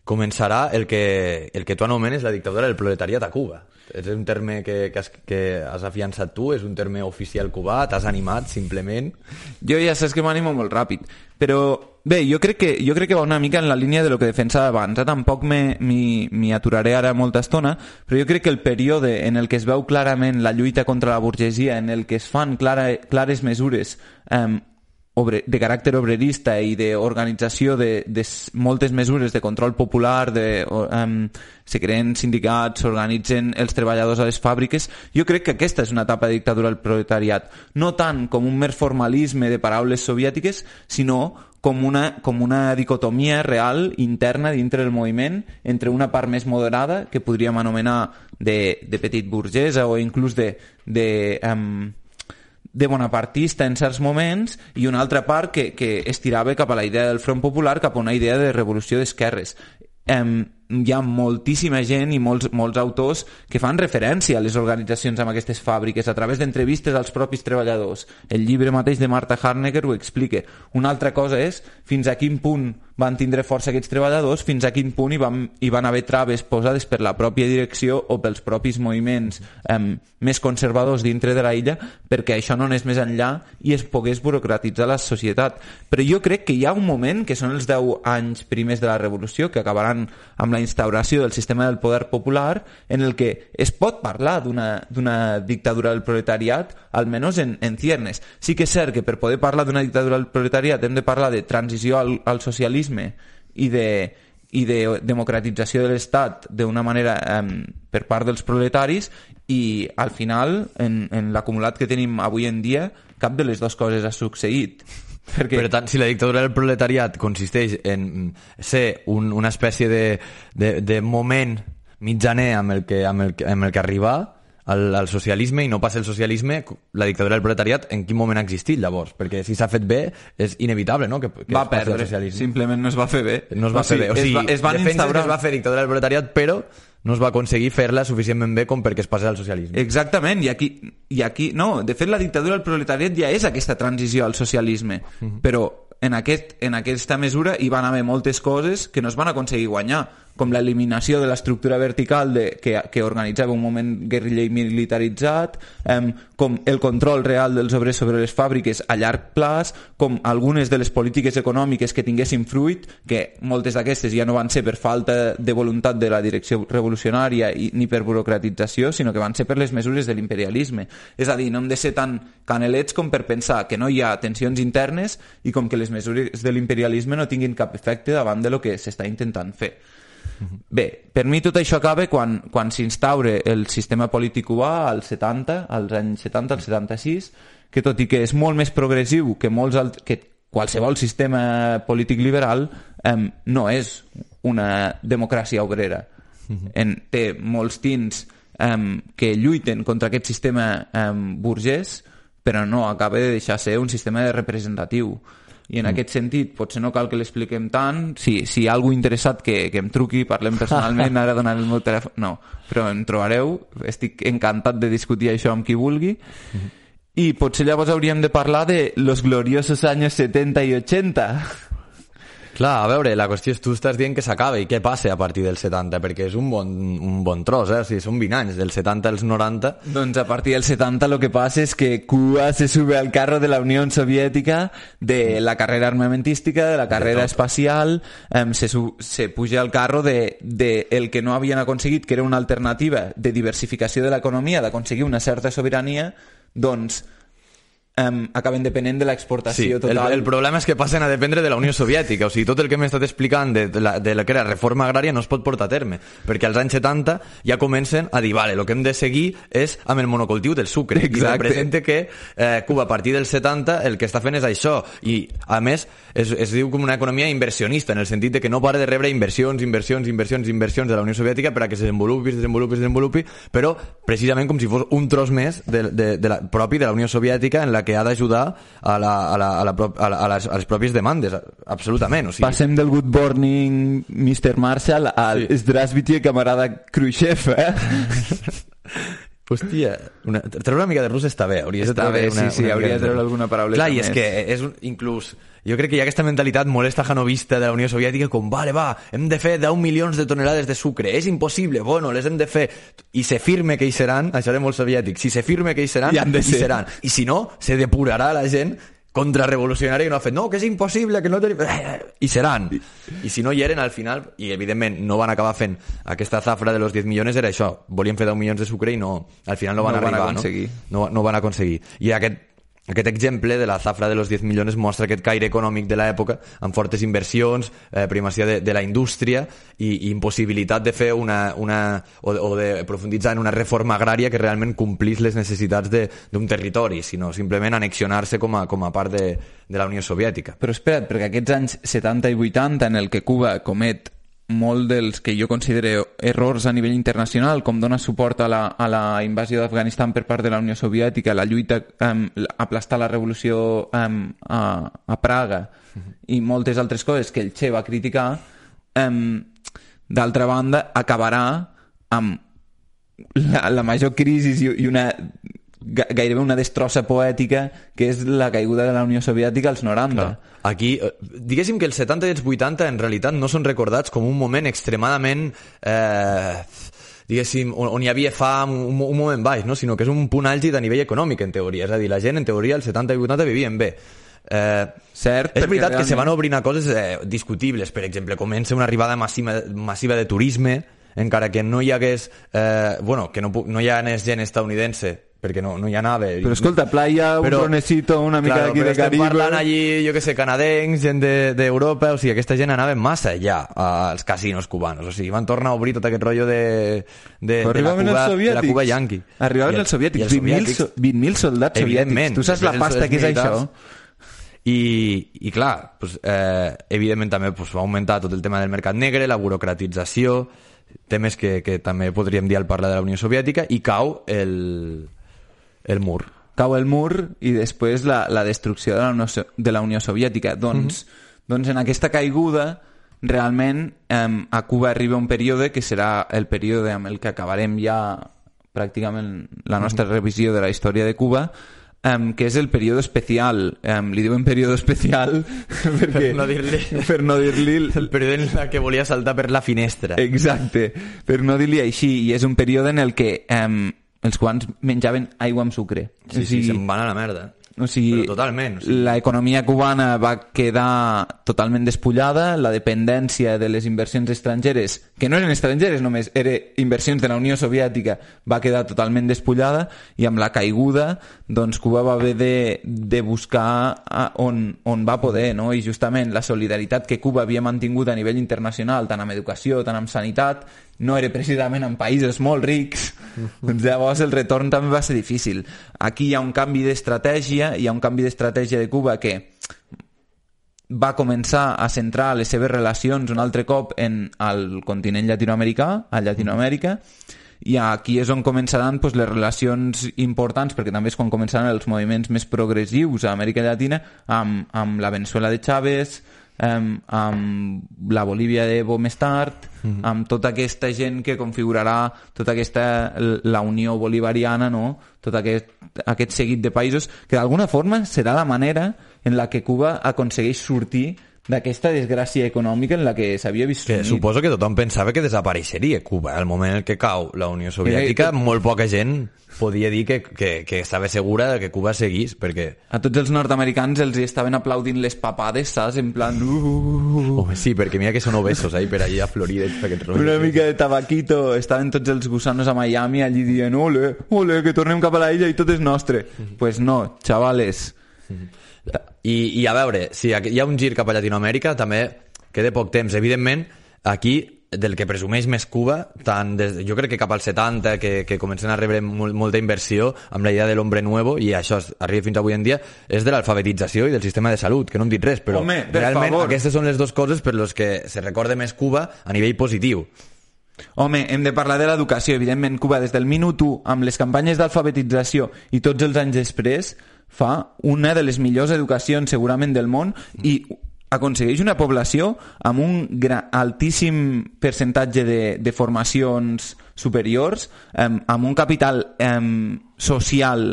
començarà el que, el que tu anomenes la dictadura del proletariat a Cuba. És un terme que, que, has, que has afiançat tu, és un terme oficial cubà, t'has animat simplement? Jo ja saps que m'animo molt ràpid, però bé, jo crec que, jo crec que va una mica en la línia de lo que defensava abans, eh? Tampoc m'hi aturaré ara molta estona, però jo crec que el període en el que es veu clarament la lluita contra la burgesia, en el que es fan clara, clares mesures eh, de caràcter obrerista i d'organització de, de moltes mesures de control popular, de, um, se creen sindicats, s'organitzen els treballadors a les fàbriques. Jo crec que aquesta és una etapa de dictadura del proletariat, no tant com un mer formalisme de paraules soviètiques, sinó com una, com una dicotomia real interna dintre del moviment entre una part més moderada, que podríem anomenar de, de petit burgesa o inclús de... de um, de bonapartista en certs moments i una altra part que, que estirava cap a la idea del Front Popular, cap a una idea de revolució d'esquerres. Eh, hi ha moltíssima gent i molts, molts autors que fan referència a les organitzacions amb aquestes fàbriques a través d'entrevistes als propis treballadors. El llibre mateix de Marta Harnecker ho explica. Una altra cosa és fins a quin punt van tindre força aquests treballadors, fins a quin punt hi van, hi van haver traves posades per la pròpia direcció o pels propis moviments eh, més conservadors dintre de la illa perquè això no anés més enllà i es pogués burocratitzar la societat. Però jo crec que hi ha un moment, que són els deu anys primers de la revolució, que acabaran amb la instauració del sistema del poder popular, en el que es pot parlar d'una dictadura del proletariat, almenys en, en ciernes. Sí que és cert que per poder parlar d'una dictadura del proletariat hem de parlar de transició al, al socialisme i de, i de democratització de l'Estat d'una manera eh, per part dels proletaris, i al final, en, en l'acumulat que tenim avui en dia, cap de les dues coses ha succeït. Perquè... Per tant, si la dictadura del proletariat consisteix en ser un, una espècie de, de, de moment mitjaner amb el que, amb el, amb el que arribar al, al socialisme i no passa el socialisme, la dictadura del proletariat en quin moment ha existit llavors? Perquè si s'ha fet bé és inevitable, no? Que, que va perdre, simplement no es va fer bé. No es va o sigui, fer bé. O sigui, es, va, es van instaurar... que es va fer dictadura del proletariat, però no es va aconseguir fer-la suficientment bé com perquè es passés al socialisme. Exactament, i aquí, i aquí no, de fet la dictadura del proletariat ja és aquesta transició al socialisme, uh-huh. Però en, aquest, en aquesta mesura hi van haver moltes coses que no es van aconseguir guanyar, com l'eliminació de l'estructura vertical de, que, que organitzava un moment guerriller militaritzat, eh, com el control real dels obrers sobre les fàbriques a llarg plaç, com algunes de les polítiques econòmiques que tinguessin fruit, que moltes d'aquestes ja no van ser per falta de voluntat de la direcció revolucionària i, ni per burocratització, sinó que van ser per les mesures de l'imperialisme. És a dir, no hem de ser tan canelets com per pensar que no hi ha tensions internes i com que les mesures de l'imperialisme no tinguin cap efecte davant de lo que s'està intentant fer. Bé, per mi tot això acaba quan, quan s'instaure el sistema polític cubà als setanta, als anys setanta, al setanta-sis, que tot i que és molt més progressiu que, molts alt... que qualsevol sistema polític liberal, eh, no és una democràcia obrera. En, té molts tints eh, que lluiten contra aquest sistema eh, burgès, però no acaba de deixar ser un sistema representatiu. i en mm. aquest sentit potser no cal que l'expliquem tant. Si, si hi ha algú interessat que, que em truqui, parlem personalment, ara donaré el meu telèfon, no, però em trobareu, estic encantat de discutir això amb qui vulgui. Mm. I potser llavors hauríem de parlar de los gloriosos años setenta i ochenta. Clar, a veure, la qüestió és tu estàs dient que s'acaba i què passa a partir del setanta, perquè és un bon, un bon tros, eh? O sigui, són vint anys, del setanta als noranta. Doncs a partir del setanta lo que passa és que Cuba se sube al carro de la Unió Soviètica, de la carrera armamentística, de la carrera espacial, eh, se, se puja al carro de, de el que no havien aconseguit, que era una alternativa de diversificació de l'economia, d'aconseguir una certa sobirania, doncs Um, acaben depenent de l'exportació sí, total. El, el problema és que passen a dependre de la Unió Soviètica. O sigui, tot el que m'he estat explicant de, de, la, de la que era reforma agrària no es pot portar a terme, perquè als anys setanta ja comencen a dir, vale, el que hem de seguir és amb el monocultiu del sucre. Exacte. I representa que eh, Cuba a partir del setanta el que està fent és això, i a més es, es diu com una economia inversionista, en el sentit de que no para de rebre inversions, inversions, inversions, inversions de la Unió Soviètica per a que se desenvolupi, se desenvolupi, se desenvolupi, però precisament com si fos un tros més de, de, de la, propi de la Unió Soviètica, en la que ha d'ajudar a, la, a, la, a, la, a, la, a, les, a les pròpies demandes, absolutament. O sigui... Passem del good morning mister Marshall al sí. Здравствуйте, camarada Khrushchev, eh? Hòstia, una, treure una mica de rus està bé. Hauries està de bé, una, sí, sí, una hauria de treure alguna paraula. Clar, i és que és un, inclús... Jo crec que hi ha aquesta mentalitat molt estajanovista de la Unió Soviètica com, vale, va, hem de fer deu milions de tonelades de sucre, és impossible, bueno, les hem de fer. I se firme que hi seran, això era molt soviètic, si se firme que hi seran, hi seran. I si no, se depurarà la gent contrarrevolucionària que no ha fet, no, que és impossible, que no tenim... I seran. I si no hi eren al final, i evidentment no van acabar fent aquesta zafra de los diez milions, era això, volien fer deu milions de sucre i no, al final no van no arribar, van aconseguir. no? No, no van aconseguir. I aquest Aquest exemple de la zafra de los diez milions mostra aquest caire econòmic de l'època, amb fortes inversions, eh, primacia de, de la indústria i, i impossibilitat de fer una, una o, o de profunditzar en una reforma agrària que realment complís les necessitats d'un territori, sinó simplement annexionar-se com a, com a part de, de la Unió Soviètica. Però espera't, perquè aquests anys setanta i vuitanta en el que Cuba comet molt dels que jo considero errors a nivell internacional, com dona suport a la, a la invasió d'Afganistan per part de la Unió Soviètica, la lluita um, aplastar la revolució um, a, a Praga uh-huh. i moltes altres coses que el Che va criticar, um, d'altra banda acabarà amb la, la major crisi i, i una gairebé una destrossa poètica que és la caiguda de la Unió Soviètica als noranta. Clar. Aquí, diguéssim que els setanta i els vuitanta en realitat no són recordats com un moment extremadament eh, diguéssim, on, on hi havia fam, un, un moment baix, no? Sinó que és un punt àlgid a nivell econòmic, en teoria. És a dir, la gent, en teoria, als setanta i vuitanta vivien bé. Eh, Cert, és veritat realment... que se van obrint a coses eh, discutibles. Per exemple, comença una arribada massiva, massiva de turisme, encara que no hi hagués eh, bueno, que no, no hi hagués gent estadounidense, perquè no, no hi anava. Però escolta, playa, un bronecito, una mica claro, d'aquí de Caribe... Però parlant allí, jo que sé, canadencs, gent d'Europa, de, o sigui, aquesta gent anava massa allà als casinos cubanos, o sigui, van tornar a obrir tot aquest rotllo de, de, de, la, Cuba, de la Cuba yanqui. Arribaven els soviètics, vint mil soldats soviètics. Tu saps la pasta que és això? I, i clar, pues, eh, evidentment també pues, va augmentar tot el tema del mercat negre, la burocratització, temes que, que també podríem dir al parlar de la Unió Soviètica, i cau el... el mur. Cau el mur i després la, la destrucció de la Unió, de la Unió Soviètica. Doncs, mm-hmm. doncs en aquesta caiguda realment eh, a Cuba arriba un període que serà el període amb el que acabarem ja pràcticament la nostra mm-hmm. revisió de la història de Cuba, eh, que és el període especial. Eh, li diuen període especial perquè, per no dir-li per no dir-li el període en el que volia saltar per la finestra. Exacte, per no dir-li així. I és un període en el que eh, els cubans menjaven aigua amb sucre. Sí, o sigui, sí, se'n van a la merda. O sigui, però totalment. O sigui... La economia cubana va quedar totalment despullada, la dependència de les inversions estrangeres, que no eren estrangeres només, eren inversions de la Unió Soviètica, va quedar totalment despullada, i amb la caiguda, doncs Cuba va haver de, de buscar on, on va poder, no? I justament la solidaritat que Cuba havia mantingut a nivell internacional, tant amb educació, tant amb sanitat, no era precisament en països molt rics, doncs llavors el retorn també va ser difícil. Aquí hi ha un canvi d'estratègia, hi ha un canvi d'estratègia de Cuba que va començar a centrar les seves relacions un altre cop en el continent llatinoamericà, a Llatinoamèrica, i aquí és on començaran pues, les relacions importants, perquè també és quan començaran els moviments més progressius a Amèrica Llatina, amb, amb la Venezuela de Chávez, amb, amb la Bolívia d'Evo més tard, mm-hmm. amb tota aquesta gent que configurarà tota aquesta, la Unió Bolivariana, no? Tot aquest, aquest seguit de països, que d'alguna forma serà la manera en la que Cuba aconsegueix sortir d'aquesta desgràcia econòmica en la que s'havia vist que suposo que tothom pensava que desapareixeria Cuba. Al moment en què cau la Unió Soviètica, que... molt poca gent podia dir que, que, que estava segura que Cuba seguís, perquè... A tots els nord-americans els estaven aplaudint les papades, saps? En plan... Uh... Home, sí, perquè mira que són obesos, eh? Per allà a Florida. Una mica de tabaquito. Estaven tots els gusanos a Miami allí dient ole, ole, que tornem cap a la illa i tot és nostre. Mm-hmm. Pues no, xavales. Mm-hmm. I, i a veure, si hi ha un gir cap a Llatinoamèrica, també queda poc temps. Evidentment, aquí, del que presumeix més Cuba, tant des, jo crec que cap als setanta, que, que comencen a rebre molt, molta inversió amb la idea de l'hombre nuevo, i això arriba fins avui en dia, és de l'alfabetització i del sistema de salut, que no hem dit res, però Home, realment favor. Aquestes són les dues coses per les que se recorda més Cuba a nivell positiu. Home, hem de parlar de l'educació. Evidentment, Cuba, des del minut u, amb les campanyes d'alfabetització i tots els anys després, fa una de les millors educacions segurament del món i aconsegueix una població amb un gran, altíssim percentatge de, de formacions superiors, eh, amb un capital eh, social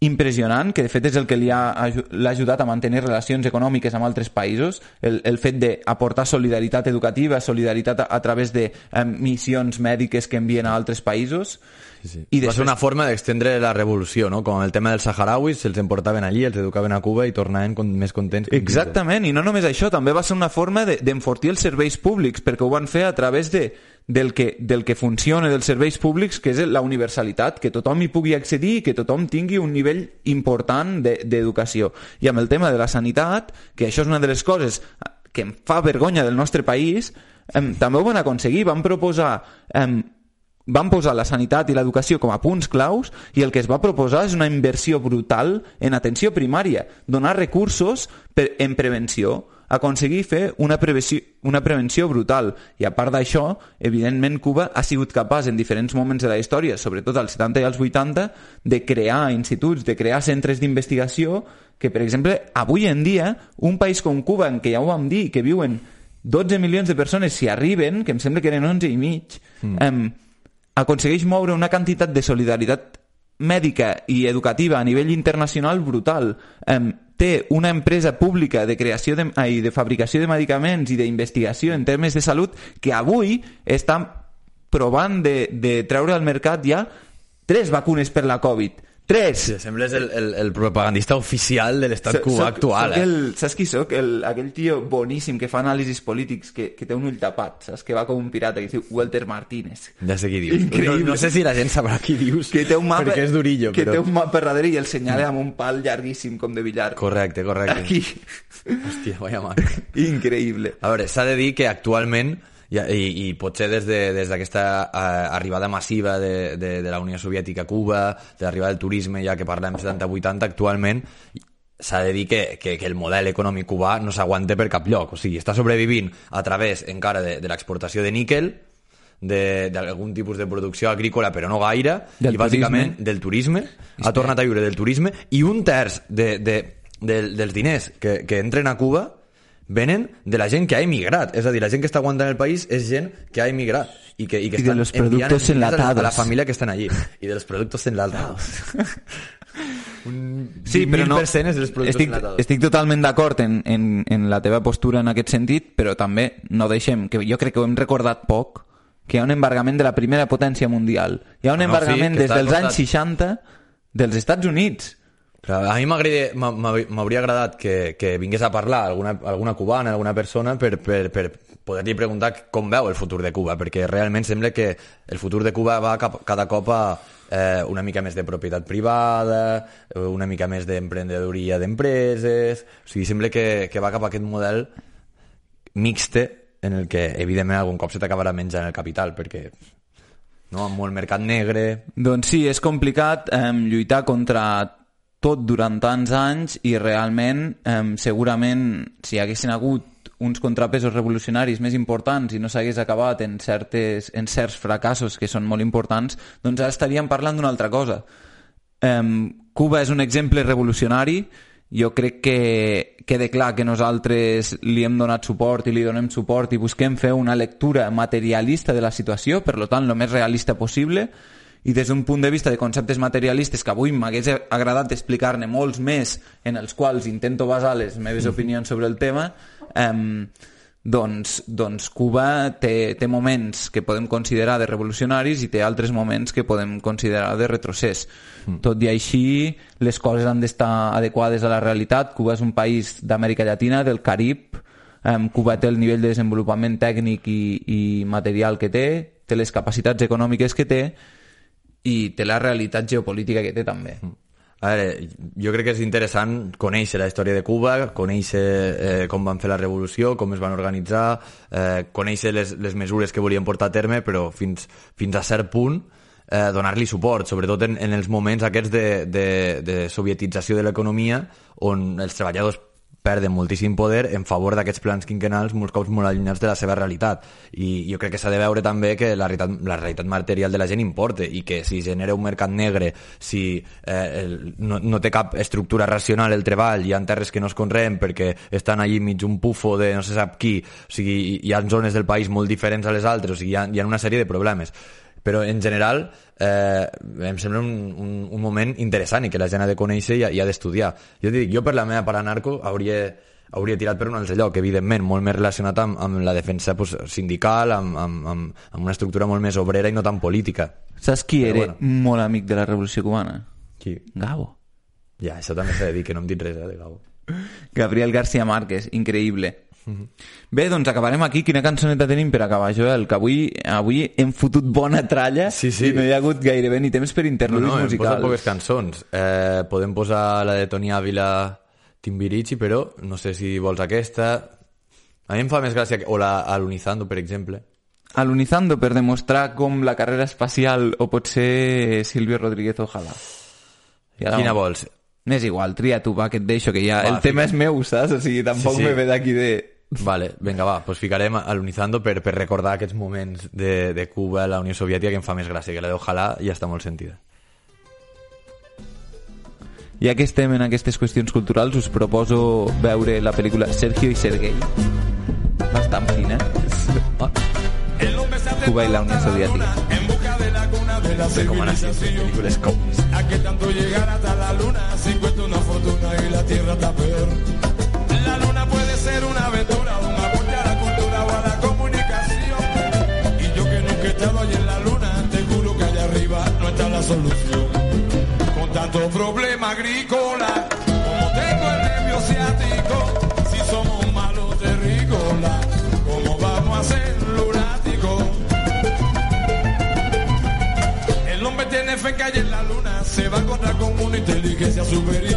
impressionant, que de fet és el que li ha, l'ha ajudat a mantenir relacions econòmiques amb altres països, el, el fet d'aportar solidaritat educativa, solidaritat a, a través de eh, missions mèdiques que envien a altres països. Sí, sí. I després... Va ser una forma d'extendre la revolució, no? Com el tema dels saharauis, se'ls emportaven allí, els educaven a Cuba i tornaven con, més contents. Exactament, i no només això, també va ser una forma d'enfortir de, els serveis públics, perquè ho van fer a través de, del, que, del que funciona dels serveis públics, que és la universalitat, que tothom hi pugui accedir i que tothom tingui un nivell important d'educació. De, I amb el tema de la sanitat, que això és una de les coses que em fa vergonya del nostre país, eh, també ho van aconseguir, van proposar... Eh, van posar la sanitat i l'educació com a punts claus i el que es va proposar és una inversió brutal en atenció primària, donar recursos per, en prevenció, aconseguir fer una prevenció, una prevenció brutal. I a part d'això, evidentment Cuba ha sigut capaç en diferents moments de la història, sobretot als setanta i als vuitanta, de crear instituts, de crear centres d'investigació que, per exemple, avui en dia, un país com Cuba, en què ja ho vam dir, que viuen dotze milions de persones, si arriben, que em sembla que eren onze i mig, mm. eh, aconsegueix moure una quantitat de solidaritat mèdica i educativa a nivell internacional brutal. Eh, té una empresa pública de creació de, ai, de fabricació de medicaments i d'investigació en termes de salut que avui està provant de, de treure al mercat ja tres vacunes per la Covid. Tres! Sí, sembles el, el, el propagandista oficial de l'estat cubà soc, actual. Soc eh? el, saps qui soc? El, aquell tio boníssim que fa anàlisis polítics, que, que té un ull tapat, saps? Que va com un pirata, que es diu Walter Martínez. Ja sé qui dius. No, no sé si la gent sabrà qui dius, que té un mapa, perquè és durillo. Que però... té un mapa darrere i el senyala amb un pal llarguíssim com de billar. Correcte, correcte. Aquí. Hòstia, vaya marca. Increïble. A veure, s'ha de dir que actualment... I, i, i potser des d'aquesta de, uh, arribada massiva de, de, de la Unió Soviètica a Cuba, de l'arribada del turisme, ja que parlem setanta vuitanta, actualment s'ha de dir que, que, que el model econòmic cubà no s'aguanta per cap lloc. O sigui, està sobrevivint a través encara de, de l'exportació de níquel, d'algun tipus de producció agrícola, però no gaire, del i bàsicament turisme. del turisme, ha tornat a viure del turisme, i un terç de, de, de, dels diners que, que entren a Cuba venen de la gent que ha emigrat. És a dir, la gent que està aguantant el país és gent que ha emigrat i que, i que I de los productos enlatados a la família que estan allí. I de los productos enlatados. Un sí, però no, és dels productos estic, enlatados. estic totalment d'acord en, en, en la teva postura en aquest sentit, però també no deixem, que jo crec que ho hem recordat poc, que hi ha un embargament de la primera potència mundial. Hi ha un ah, no, embargament sí, des dels costat... anys seixanta dels Estats Units. A mi m'hauria agradat que, que vingués a parlar alguna, alguna cubana, alguna persona per, per, per poder-li preguntar com veu el futur de Cuba, perquè realment sembla que el futur de Cuba va cap, cada cop a eh, una mica més de propietat privada, una mica més d'emprenedoria d'empreses, o sigui, sembla que, que va cap a aquest model mixte en el que evidentment algun cop se t'acabarà menjant el capital, perquè no, amb molt mercat negre... Doncs sí, és complicat eh, lluitar contra tot durant tants anys i realment eh, segurament si hi haguessin hagut uns contrapesos revolucionaris més importants i no s'hagués acabat en, certes, en certs fracassos que són molt importants, doncs ara estaríem parlant d'una altra cosa. Um, Cuba és un exemple revolucionari. Jo crec que queda clar que nosaltres li hem donat suport i li donem suport i busquem fer una lectura materialista de la situació, per tant, el més realista possible, i des d'un punt de vista de conceptes materialistes que avui m'hagués agradat explicar-ne molts més, en els quals intento basar les meves opinions sobre el tema, eh, doncs, doncs Cuba té, té moments que podem considerar de revolucionaris i té altres moments que podem considerar de retrocés. Mm. Tot i així, les coses han d'estar adequades a la realitat. Cuba és un país d'Amèrica Llatina, del Carib. Um, Cuba té el nivell de desenvolupament tècnic i, i material que té, té les capacitats econòmiques que té i té la realitat geopolítica que té també. Mm. A veure, jo crec que és interessant conèixer la història de Cuba, conèixer eh, com van fer la revolució, com es van organitzar, eh, conèixer les, les mesures que volien portar a terme, però fins, fins a cert punt eh, donar-li suport, sobretot en, en els moments aquests de, de, de sovietització de l'economia, on els treballadors perden moltíssim poder en favor d'aquests plans quinquennals molts cops molt allunyats de la seva realitat. I jo crec que s'ha de veure també que la realitat, la realitat material de la gent importa i que si genera un mercat negre, si eh, el, no, no té cap estructura racional el treball, hi ha terres que no es conreen perquè estan allí mig un pufo de no se sap qui, o sigui, hi ha zones del país molt diferents a les altres, o sigui, hi ha, hi ha una sèrie de problemes. Però en general eh, em sembla un, un, un moment interessant i que la gent ha de conèixer i ha, i ha d'estudiar. Jo dic, jo per la meva part anarco hauria, hauria tirat per un altre lloc, evidentment, molt més relacionat amb, amb la defensa pues, sindical, amb, amb, amb, amb una estructura molt més obrera i no tan política. Saps qui Però, era bueno. molt amic de la Revolució Cubana? Qui? Gabo. Ja, això també s'ha de dir, que no em dit res eh, de Gabo. Gabriel García Márquez, increïble. Bé, doncs acabarem aquí. Quina cançoneta tenim per acabar, Joel? Que avui, avui hem fotut bona tralla sí, sí. i no hi ha hagut gairebé ni temps per internudis no, no, musicals. No, hem posat poques cançons. Eh, podem posar la de Toni Ávila, Timbirichi, però no sé si vols aquesta. A mi em fa més gràcia... O la Alunizando, per exemple. Alunizando, per demostrar com la carrera espacial o pot ser Silvio Rodríguez Ojalá. Ja Quina vols? M'és igual, tria tu, va, que et deixo, que ja... Va, el tema és meu, saps? O sigui, tampoc sí, sí. me ve d'aquí de... Vale, vinga, va, pues ficarem Alunizando per, per recordar aquests moments de, de Cuba, la Unió Soviètica, que em fa més gràcia, que la d'Ojalà ja està molt sentida. Ja que estem en aquestes qüestions culturals, us proposo veure la pel·lícula Sergio i Sergei. Bastant fina. Ah. Cuba i la Unió Soviètica. Sé com han estat pel·lícules comunes. A que tanto llegar hasta la luna, si cuesta una fortuna y la tierra está peor. La luna puede ser una aventura, un aporte a la cultura o a la comunicación. Y yo que nunca he estado allí en la luna, te juro que allá arriba no está la solución. Con tanto problema agrícola, como tengo el nervio ciático, si somos malos terrícolas, ¿cómo vamos a ser lunáticos? El hombre tiene fe que hay en la luna, se va a encontrar con una inteligencia superior.